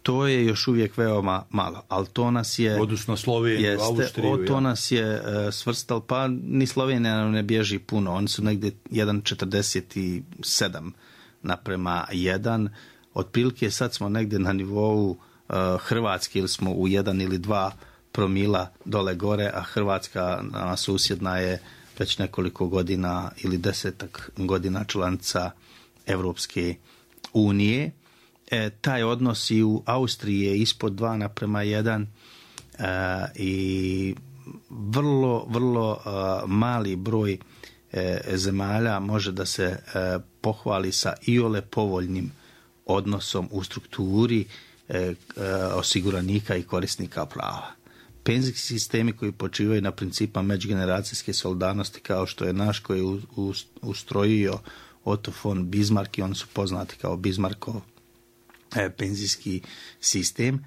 To je još uvijek veoma malo, ali to nas je... Odnosno Sloveniju, Austriju. To nas je uh, svrstalo, pa ni Slovenija ne bježi puno, oni su negdje jedan četrdeset sedam naprema jedan. Otprilike sad smo negdje na nivou uh, Hrvatske ili smo u jedan ili dva promila dole gore, a Hrvatska nama susjedna je već nekoliko godina ili desetak godina članica Evropske unije. E, taj odnos i u Austriji je ispod dva naprema jedan e, i vrlo, vrlo e, mali broj e, zemalja može da se e, pohvali sa iole povoljnim odnosom u strukturi e, e, osiguranika i korisnika prava. Penzijski sistemi koji počivaju na principa međugeneracijske solidarnosti kao što je naš koji je ustrojio Otto von Bismarck i oni su poznati kao Bismarckov penzijski sistem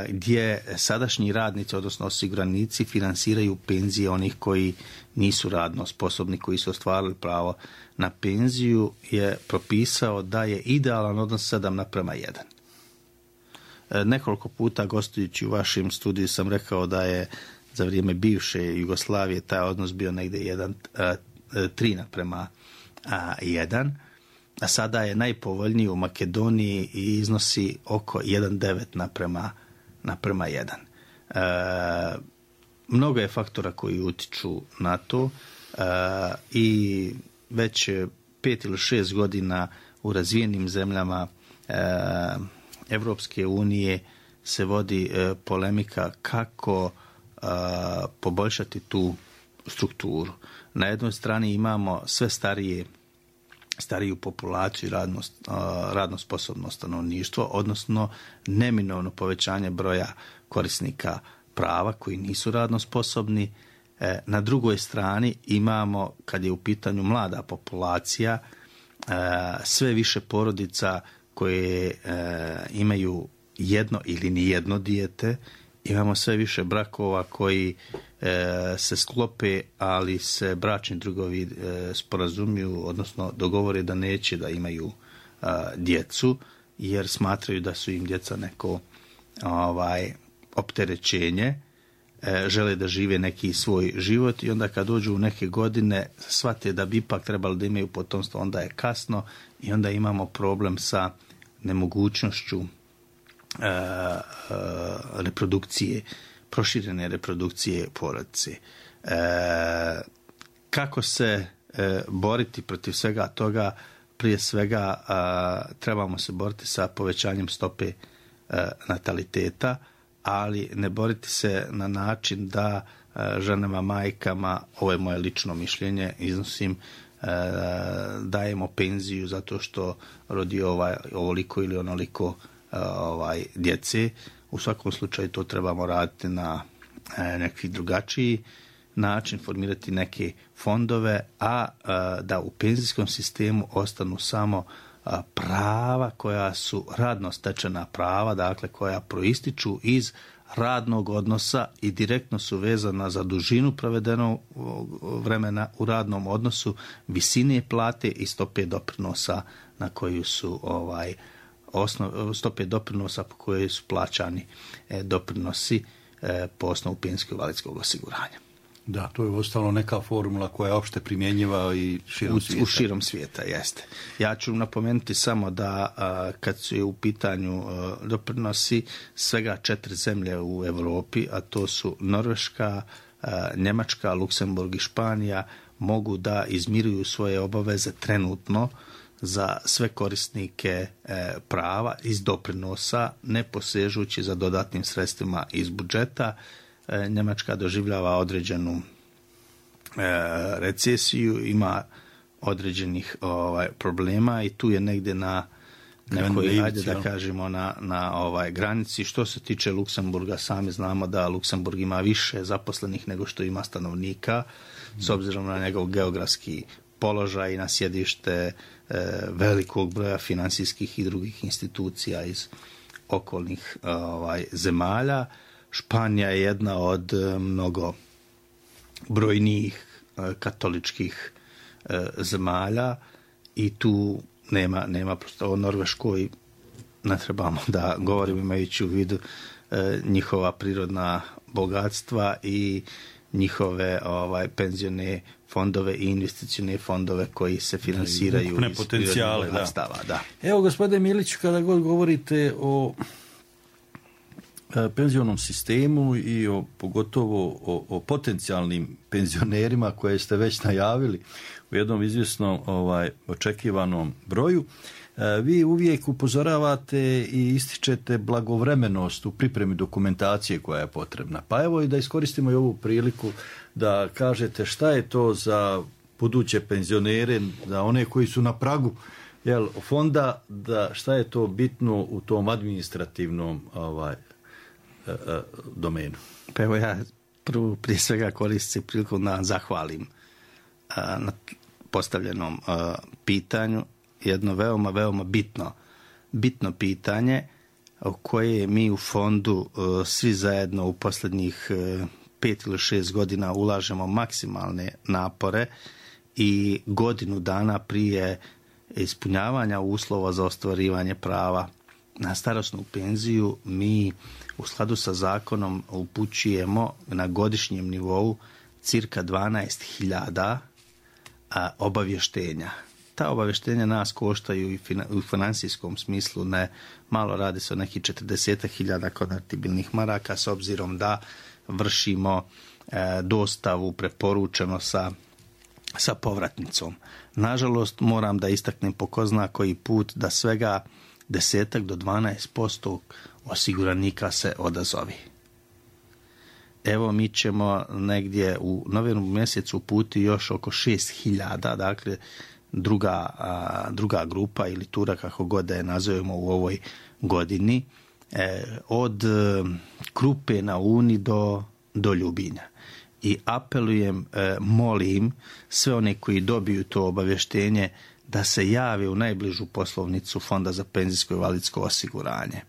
gdje sadašnji radnici, odnosno osiguranici, finansiraju penzije onih koji nisu radno sposobni, koji su ostvarili pravo na penziju, je propisao da je idealan odnos sedam naprema jedan. Nekoliko puta gostujući u vašem studiju sam rekao da je za vrijeme bivše Jugoslavije taj odnos bio negdje jedan, tri naprema jedan. A sada je najpovoljniji u Makedoniji i iznosi oko jedan devet naprema, naprema jedan. E, mnogo je faktora koji utiču na to e, i već pet ili šest godina u razvijenim zemljama e, Evropske unije se vodi e, polemika kako e, poboljšati tu strukturu. Na jednoj strani imamo sve starije stariju populaciju i radno, radno sposobno stanovništvo, odnosno neminovno povećanje broja korisnika prava koji nisu radno sposobni. Na drugoj strani imamo, kad je u pitanju mlada populacija, sve više porodica koje imaju jedno ili nijedno dijete, imamo sve više brakova koji e, se sklope, ali se bračni drugovi e, sporazumiju, odnosno dogovore da neće da imaju a, djecu, jer smatraju da su im djeca neko ovaj, opterećenje, e, žele da žive neki svoj život i onda kad dođu u neke godine shvate da bi ipak trebali da imaju potomstvo, onda je kasno i onda imamo problem sa nemogućnošću Uh, uh, reprodukcije, proširene reprodukcije porodice. Uh, kako se uh, boriti protiv svega toga? Prije svega uh, trebamo se boriti sa povećanjem stope uh, nataliteta, ali ne boriti se na način da uh, ženama, majkama, ovo je moje lično mišljenje, iznosim, uh, dajemo penziju zato što rodi ovaj, ovoliko ili onoliko ovaj, djece. U svakom slučaju to trebamo raditi na e, neki drugačiji način, formirati neke fondove, a e, da u penzijskom sistemu ostanu samo prava koja su radno stečena prava, dakle koja proističu iz radnog odnosa i direktno su vezana za dužinu provedenog vremena u radnom odnosu, visine plate i stope doprinosa na koju su ovaj osnov, stope doprinosa po koje su plaćani e, doprinosi e, po osnovu penzijskog invalidskog osiguranja. Da, to je ostalo neka formula koja je opšte primjenjiva i širom u, svijeta. U širom svijeta, jeste. Ja ću napomenuti samo da a, kad su u pitanju a, doprinosi, svega četiri zemlje u Europi, a to su Norveška, a, Njemačka, Luksemburg i Španija, mogu da izmiruju svoje obaveze trenutno za sve korisnike e, prava iz doprinosa, ne posežući za dodatnim sredstvima iz budžeta. E, Njemačka doživljava određenu e, recesiju, ima određenih ovaj, problema i tu je negdje na nekoj, ajde da kažemo, na, na ovaj, granici. Što se tiče Luksemburga, sami znamo da Luksemburg ima više zaposlenih nego što ima stanovnika, s obzirom na njegov geografski položaj i na sjedište e, velikog broja financijskih i drugih institucija iz okolnih ovaj, zemalja. Španija je jedna od e, mnogo brojnijih e, katoličkih e, zemalja i tu nema, nema prosto o Norveškoj ne trebamo da govorimo imajući u vidu e, njihova prirodna bogatstva i njihove ovaj, penzione fondove i investicione fondove koji se finansiraju iz potencijale, da. Stava, da. Evo, gospodine Milić, kada god govorite o e, penzionom sistemu i o, pogotovo o, o potencijalnim penzionerima koje ste već najavili u jednom izvjesnom ovaj, očekivanom broju, e, vi uvijek upozoravate i ističete blagovremenost u pripremi dokumentacije koja je potrebna. Pa evo i da iskoristimo i ovu priliku da kažete šta je to za buduće penzionere, za one koji su na pragu jel, fonda, da šta je to bitno u tom administrativnom ovaj, e, e, domenu. Pa evo ja prvo prije svega koristim priliku da zahvalim a, na postavljenom a, pitanju, jedno veoma, veoma bitno, bitno pitanje o koje mi u fondu a, svi zajedno u posljednjih a, pet ili šest godina ulažemo maksimalne napore i godinu dana prije ispunjavanja uslova za ostvarivanje prava na starosnu penziju mi u skladu sa zakonom upućujemo na godišnjem nivou cirka dvanaest hiljada obavještenja. Ta obavještenja nas koštaju i u financijskom smislu ne malo, radi se o nekih četrdeset hiljada konvertibilnih maraka s obzirom da vršimo e, dostavu preporučeno sa, sa povratnicom. Nažalost, moram da istaknem po ko zna koji put da svega desetak do dvanaest posto osiguranika se odazovi. Evo mi ćemo negdje u novembru mjesecu uputiti još oko šest hiljada, dakle druga, a, druga grupa ili tura kako god da je nazovemo u ovoj godini, e, od e, Krupe na Uni do, do Ljubinja. I apelujem, e, molim sve one koji dobiju to obavještenje da se jave u najbližu poslovnicu Fonda za penzijsko i invalidsko osiguranje.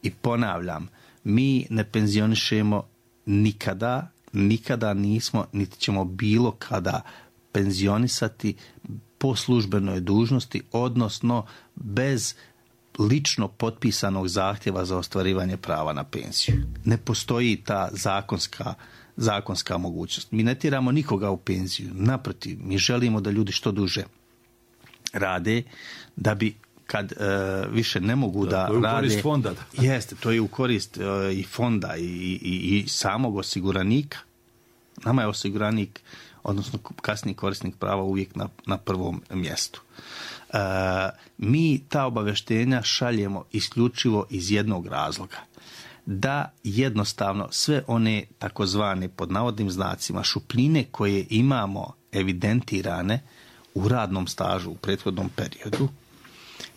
I ponavljam, mi ne penzionišemo nikada, nikada nismo, niti ćemo bilo kada penzionisati po službenoj dužnosti, odnosno bez lično potpisanog zahtjeva za ostvarivanje prava na penziju. Ne postoji ta zakonska, zakonska mogućnost. Mi ne tjeramo nikoga u penziju. Naprotiv, mi želimo da ljudi što duže rade, da bi kad e, više ne mogu da, da rade... To je u korist fonda. Da. Jeste, to je u korist e, i fonda i, i, i samog osiguranika. Nama je osiguranik, odnosno kasniji korisnik prava uvijek na, na prvom mjestu. E, mi ta obavještenja šaljemo isključivo iz jednog razloga. Da jednostavno sve one takozvane pod navodnim znacima šupljine koje imamo evidentirane u radnom stažu u prethodnom periodu,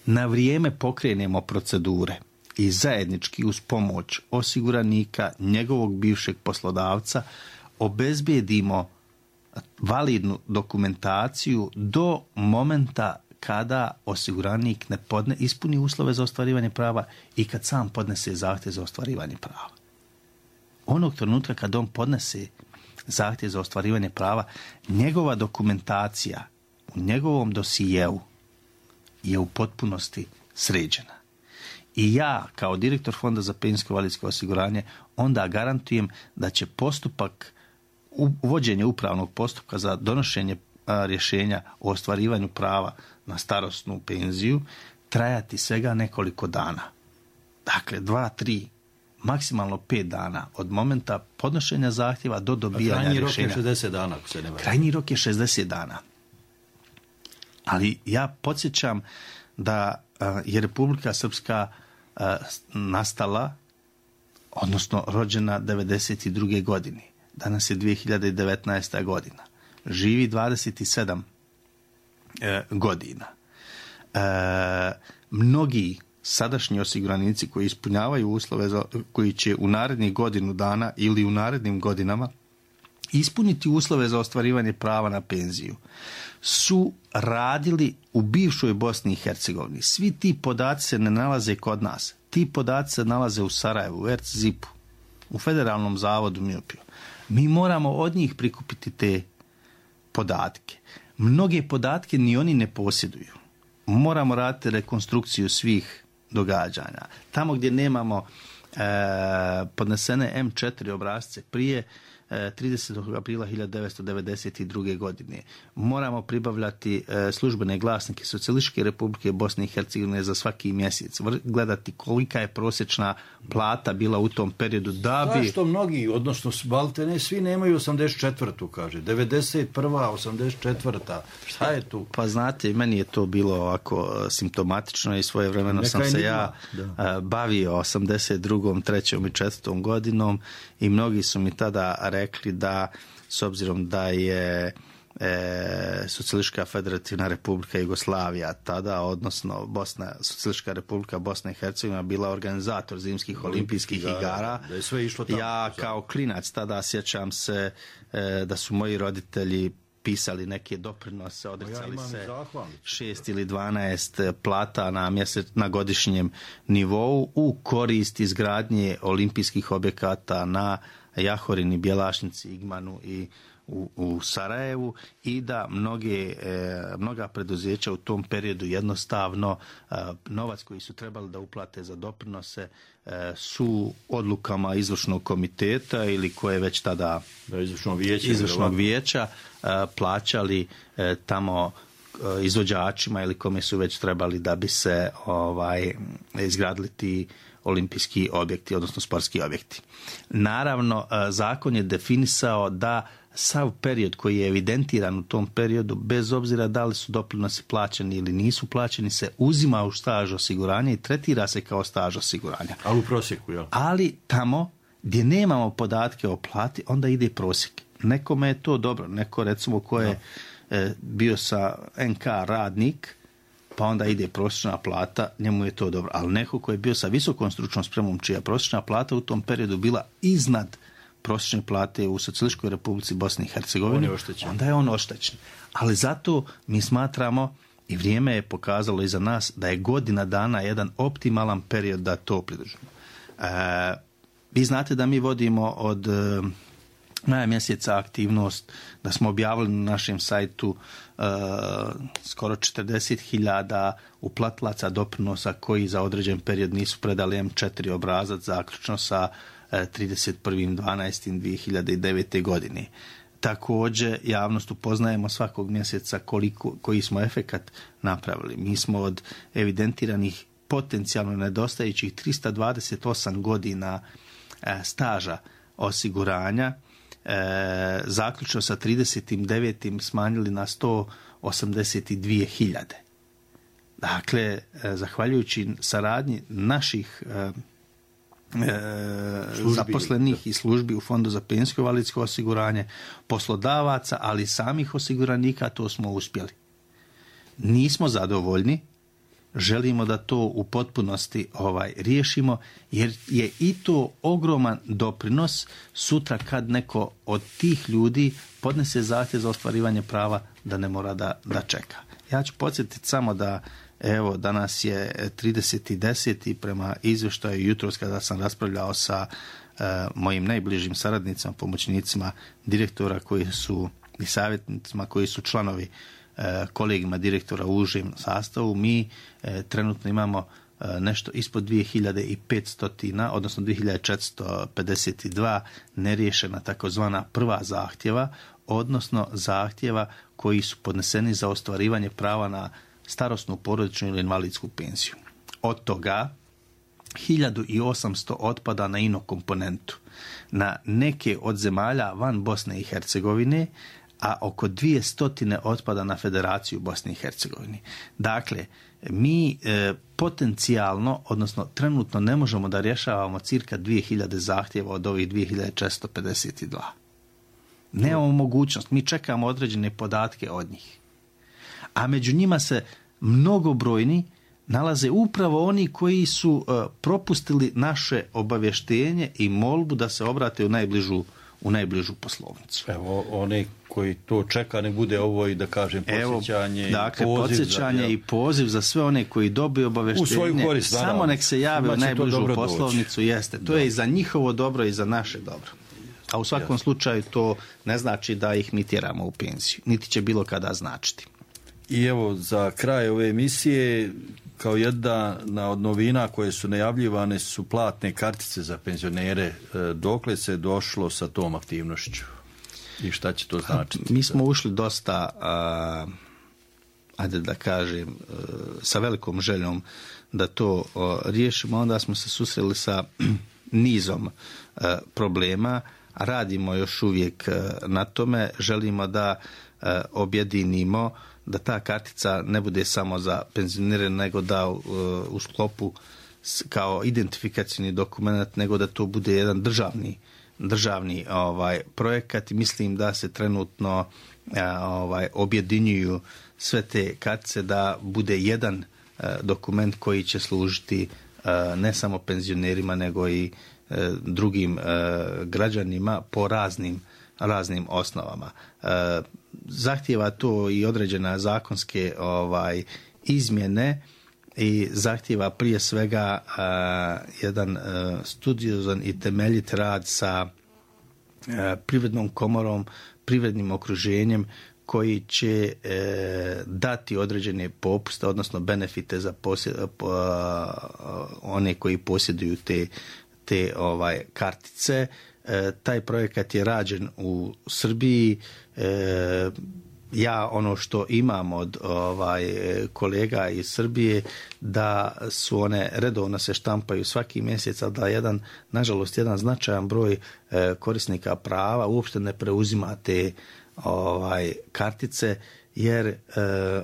na vrijeme pokrenemo procedure i zajednički uz pomoć osiguranika, njegovog bivšeg poslodavca, obezbijedimo validnu dokumentaciju do momenta kada osiguranik ne podne, ispuni uslove za ostvarivanje prava i kad sam podnese zahtjev za ostvarivanje prava. Onog trenutka kad on podnese zahtjev za ostvarivanje prava, njegova dokumentacija u njegovom dosijeu je u potpunosti sređena. I ja, kao direktor Fonda za penzijsko invalidsko osiguranje, onda garantujem da će postupak, uvođenje upravnog postupka za donošenje a, rješenja o ostvarivanju prava na starosnu penziju trajati svega nekoliko dana. Dakle, dva, tri, maksimalno pet dana od momenta podnošenja zahtjeva do dobijanja rješenja. Krajnji rok je šezdeset dana, ako se ne varam. Krajnji rok je šezdeset dana. Ali ja podsjećam da a, je Republika Srpska a, nastala, odnosno rođena devedeset druge godine. Danas je dvije hiljade devetnaesta godina. Živi dvadeset sedam e, godina. E, mnogi sadašnji osiguranici koji ispunjavaju uslove za, koji će u narednih godinu dana ili u narednim godinama ispuniti uslove za ostvarivanje prava na penziju su radili u bivšoj Bosni i Hercegovini. Svi ti podaci se ne nalaze kod nas. Ti podaci se nalaze u Sarajevu, u Erc Zipu, u Federalnom zavodu Miopiju. Mi moramo od njih prikupiti te podatke. Mnoge podatke ni oni ne posjeduju. Moramo raditi rekonstrukciju svih događanja. Tamo gdje nemamo e, podnesene em četiri obrasce prije e, tridesetog aprila hiljadu devetsto devedeset druge. godine. Moramo pribavljati e, službene glasnike Socijalističke Republike Bosne i Hercegovine za svaki mjesec. Gledati kolika je prosječna plata bila u tom periodu da bi... Zašto mnogi, odnosno baltene, svi nemaju osamdeset četvrtu, kaže. devedeset prva, osamdeset četvrta. Šta je tu? Pa znate, meni je to bilo ovako simptomatično i svojevremeno sam se ja da. bavio osamdeset drugom, trećom i četvrtom godinom i mnogi su mi tada rekli da, s obzirom da je e, Socijalistička federativna republika Jugoslavija tada, odnosno Bosna, Socijalistička republika Bosna i Hercegovina bila organizator zimskih olimpijskih igara, igara. Da je sve išlo tamo. Ja kao klinac tada sjećam se e, da su moji roditelji pisali neke doprinose, odricali ja se šest ili dvanaest plata na, mjesec, na godišnjem nivou u korist izgradnje olimpijskih objekata na Jahorini, Bjelašnici, Igmanu i u, u Sarajevu i da mnoge, e, mnoga preduzeća u tom periodu jednostavno e, novac koji su trebali da uplate za doprinose e, su odlukama izvršnog komiteta ili koje već tada da, izvršnog vijeća, izvršnog vijeća e, plaćali e, tamo e, izvođačima ili kome su već trebali da bi se ovaj izgradili ti olimpijski objekti, odnosno sportski objekti. Naravno, zakon je definisao da sav period koji je evidentiran u tom periodu, bez obzira da li su doprinosi plaćeni ili nisu plaćeni, se uzima u staž osiguranja i tretira se kao staž osiguranja. Ali u prosjeku, jel? Ali tamo gdje nemamo podatke o plati, onda ide prosjek. Nekome je to dobro. Neko, recimo, ko je e, bio sa en ka radnik, pa onda ide prosječna plata, njemu je to dobro. Ali neko ko je bio sa visokom stručnom spremom, čija prosječna plata u tom periodu bila iznad prosječne plate u Socijalističkoj Republici Bosne i Hercegovine, onda je on oštećen. Ali zato mi smatramo, i vrijeme je pokazalo iza nas, da je godina dana jedan optimalan period da to pridržimo. E, vi znate da mi vodimo od e, maja mjeseca aktivnost, da smo objavili na našem sajtu e, skoro četrdeset hiljada uplatlaca doprinosa koji za određen period nisu predali em četiri obrazac zaključno sa trideset prvog dvanaestog dvije hiljade devete. godine. Također, javnost upoznajemo svakog mjeseca koliko, koji smo efekat napravili. Mi smo od evidentiranih potencijalno nedostajućih trista dvadeset osam godina e, staža osiguranja e, zaključno sa trideset devetim smanjili na sto osamdeset dvije hiljade. Dakle, e, zahvaljujući saradnji naših e, E, zaposlenih i službi u Fondu za penzijsko invalidsko osiguranje, poslodavaca, ali samih osiguranika, to smo uspjeli. Nismo zadovoljni, želimo da to u potpunosti ovaj riješimo, jer je i to ogroman doprinos sutra kad neko od tih ljudi podnese zahtjev za ostvarivanje prava da ne mora da, da čeka. Ja ću podsjetiti samo da evo danas je trideseti deseti prema izvještaju jutros kada sam raspravljao sa uh, mojim najbližim saradnicima, pomoćnicima direktora koji su i savjetnicima koji su članovi uh, kolegima direktora u užem sastavu. Mi uh, trenutno imamo uh, nešto ispod dvije hiljade petsto, odnosno dvije hiljade četiristo pedeset dva neriješena takozvana prva zahtjeva, odnosno zahtjeva koji su podneseni za ostvarivanje prava na starosnu, porodičnu ili invalidsku penziju. Od toga hiljadu osamsto otpada na ino komponentu, na neke od zemalja van Bosne i Hercegovine, a oko dvije stotine otpada na Federaciju Bosne i Hercegovine. Dakle, mi e, potencijalno, odnosno trenutno ne možemo da rješavamo cirka dvije hiljade zahtjeva od ovih dvije hiljade četiristo pedeset dva. Nemamo mogućnost, mi čekamo određene podatke od njih. A među njima se mnogobrojni nalaze upravo oni koji su uh, propustili naše obavještenje i molbu da se obrate u najbližu, u najbližu poslovnicu. Evo, oni koji to čeka, ne bude ovo i da kažem podsjećanje. Evo, dakle, i poziv podsjećanje za, i poziv za sve one koji dobiju obavještenje. Korist, samo nek se jave u najbližu poslovnicu. Doći. Jeste. To da. je i za njihovo dobro i za naše dobro. A u svakom Jasne. slučaju to ne znači da ih mi tjeramo u penziju. Niti će bilo kada značiti. I evo, za kraj ove emisije, kao jedna od novina koje su najavljivane su platne kartice za penzionere. Dokle se došlo sa tom aktivnošću? I šta će to značiti? Mi smo ušli dosta, a, ajde da kažem, sa velikom željom da to a, riješimo. Onda smo se susreli sa nizom a, problema. Radimo još uvijek na tome. Želimo da a, objedinimo da ta kartica ne bude samo za penzionere, nego da uh, u sklopu kao identifikacijni dokument, nego da to bude jedan državni, državni ovaj, projekat. Mislim da se trenutno uh, ovaj, objedinjuju sve te kartice da bude jedan uh, dokument koji će služiti uh, ne samo penzionerima, nego i uh, drugim uh, građanima po raznim raznim osnovama. Uh, zahtijeva to i određena zakonske ovaj izmjene i zahtijeva prije svega uh, jedan uh, studiozan i temeljit rad sa uh, privrednom komorom, privrednim okruženjem koji će uh, dati određene popuste, odnosno benefite za posjed, uh, uh, one koji posjeduju te, te ovaj kartice. E, taj projekat je rađen u Srbiji. E, ja ono što imam od ovaj, kolega iz Srbije da su one redovno se štampaju svaki mjesec, a da jedan, nažalost, jedan značajan broj e, korisnika prava uopšte ne preuzima te ovaj, kartice, jer e,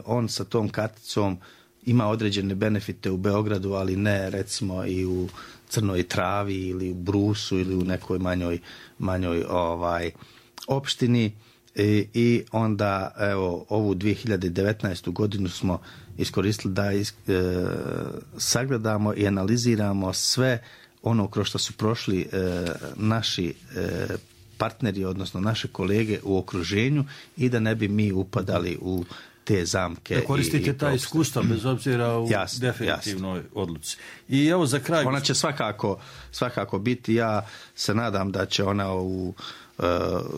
on sa tom karticom ima određene benefite u Beogradu, ali ne recimo i u Crnoj Travi ili u Brusu ili u nekoj manjoj, manjoj ovaj, opštini. I, i onda evo ovu dvije hiljade devetnaestu godinu smo iskoristili da is, e, sagledamo i analiziramo sve ono kroz što su prošli e, naši e, partneri, odnosno naše kolege u okruženju i da ne bi mi upadali u te zamke. Da koristite i, i ta iskustva bez obzira u jasno, definitivnoj jasno. odluci. I evo za kraj... Ona će svakako, svakako biti, ja se nadam da će ona u uh,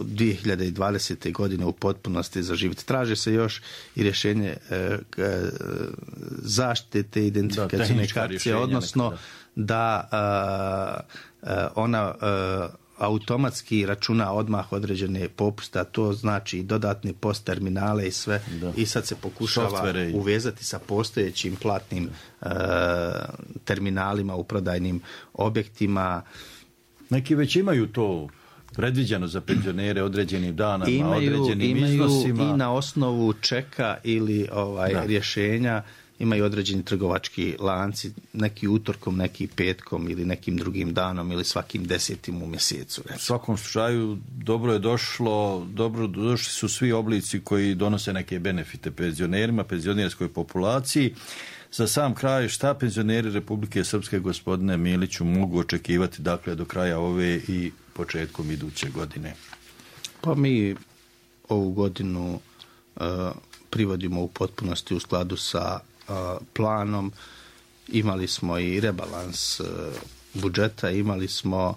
dvije hiljade dvadesete godine u potpunosti zaživjeti. Traže se još i rješenje uh, zaštite te identifikacijne kartice, odnosno nekada. da uh, uh, ona uh, automatski računa odmah određene popuste, to znači dodatne post terminale i sve. Da. I sad se pokušava Softvere. uvezati sa postojećim platnim uh, terminalima u prodajnim objektima. Neki već imaju to predviđeno za penzionere određenim danama, imaju, određenim imaju iznosima. I na osnovu čeka ili ovaj da. rješenja imaju određeni trgovački lanci, neki utorkom, neki petkom ili nekim drugim danom ili svakim desetim u mjesecu. U svakom slučaju dobro je došlo, dobro došli su svi oblici koji donose neke benefite penzionerima, penzionerskoj populaciji. Za sam kraj, šta penzioneri Republike Srpske, gospodine Miliću, mogu očekivati dakle do kraja ove i početkom iduće godine? Pa mi ovu godinu uh, privodimo u potpunosti u skladu sa planom. Imali smo i rebalans budžeta, imali smo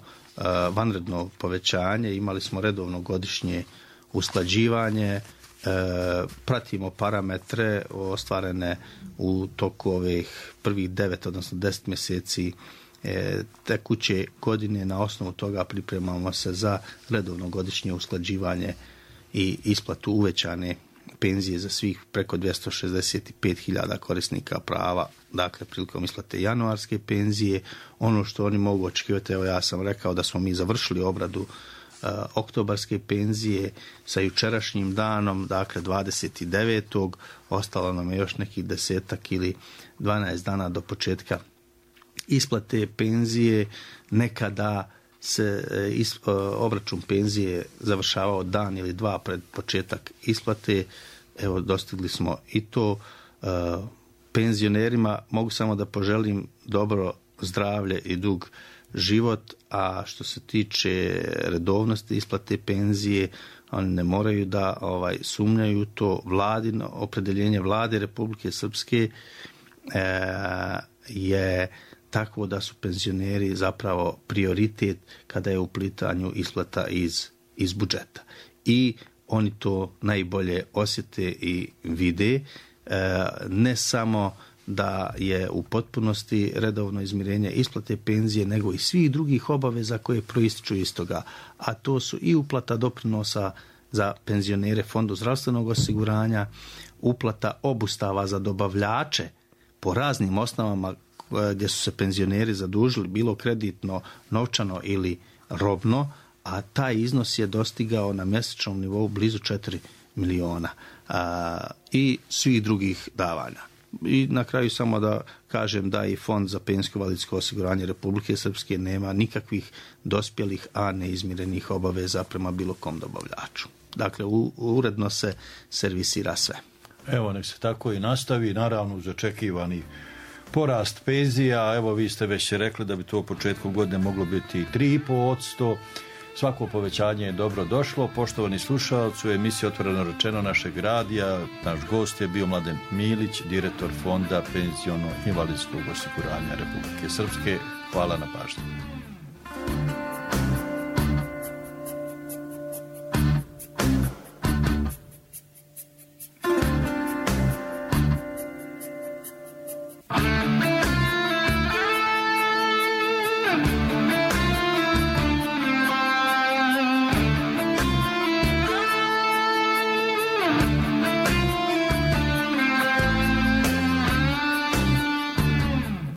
vanredno povećanje, imali smo redovno godišnje usklađivanje, pratimo parametre ostvarene u toku ovih prvih devet, odnosno deset mjeseci tekuće godine. Na osnovu toga pripremamo se za redovno godišnje usklađivanje i isplatu uvećane penzije za svih preko dvjesto šezdeset pet hiljada korisnika prava, dakle prilikom isplate januarske penzije. Ono što oni mogu očekivati, evo ja sam rekao da smo mi završili obradu uh, oktobarske penzije sa jučerašnjim danom, dakle dvadeset devetog ostalo nam je još nekih desetak ili dvanaest dana do početka isplate penzije. Nekada se is, uh, obračun penzije završavao dan ili dva pred početak isplate. Evo, dostigli smo i to. Uh, penzionerima mogu samo da poželim dobro zdravlje i dug život, a što se tiče redovnosti isplate penzije, oni ne moraju da ovaj, sumnjaju to. Vladino opredeljenje Vlade Republike Srpske e, je tako da su penzioneri zapravo prioritet kada je u pitanju isplata iz, iz budžeta. I oni to najbolje osjete i vide. E, ne samo da je u potpunosti redovno izmirenje isplate penzije, nego i svih drugih obaveza koje proističu iz toga. A to su i uplata doprinosa za penzionere Fondu zdravstvenog osiguranja, uplata obustava za dobavljače po raznim osnovama gdje su se penzioneri zadužili, bilo kreditno, novčano ili robno, a taj iznos je dostigao na mjesečnom nivou blizu četiri miliona a, i svih drugih davanja. I na kraju samo da kažem da i Fond za penzijsko invalidsko osiguranje Republike Srpske nema nikakvih dospjelih, a neizmirenih obaveza prema bilo kom dobavljaču. Dakle, u, uredno se servisira sve. Evo, nek se tako i nastavi, naravno uz očekivani porast penzija. Evo, vi ste već rekli da bi to u početku godine moglo biti tri i pol posto. Svako povećanje je dobro došlo. Poštovani slušalci, u emisiji Otvoreno rečeno našeg radija naš gost je bio Mladen Milić, direktor Fonda penziono-invalidskog osiguranja Republike Srpske. Hvala na pažnji.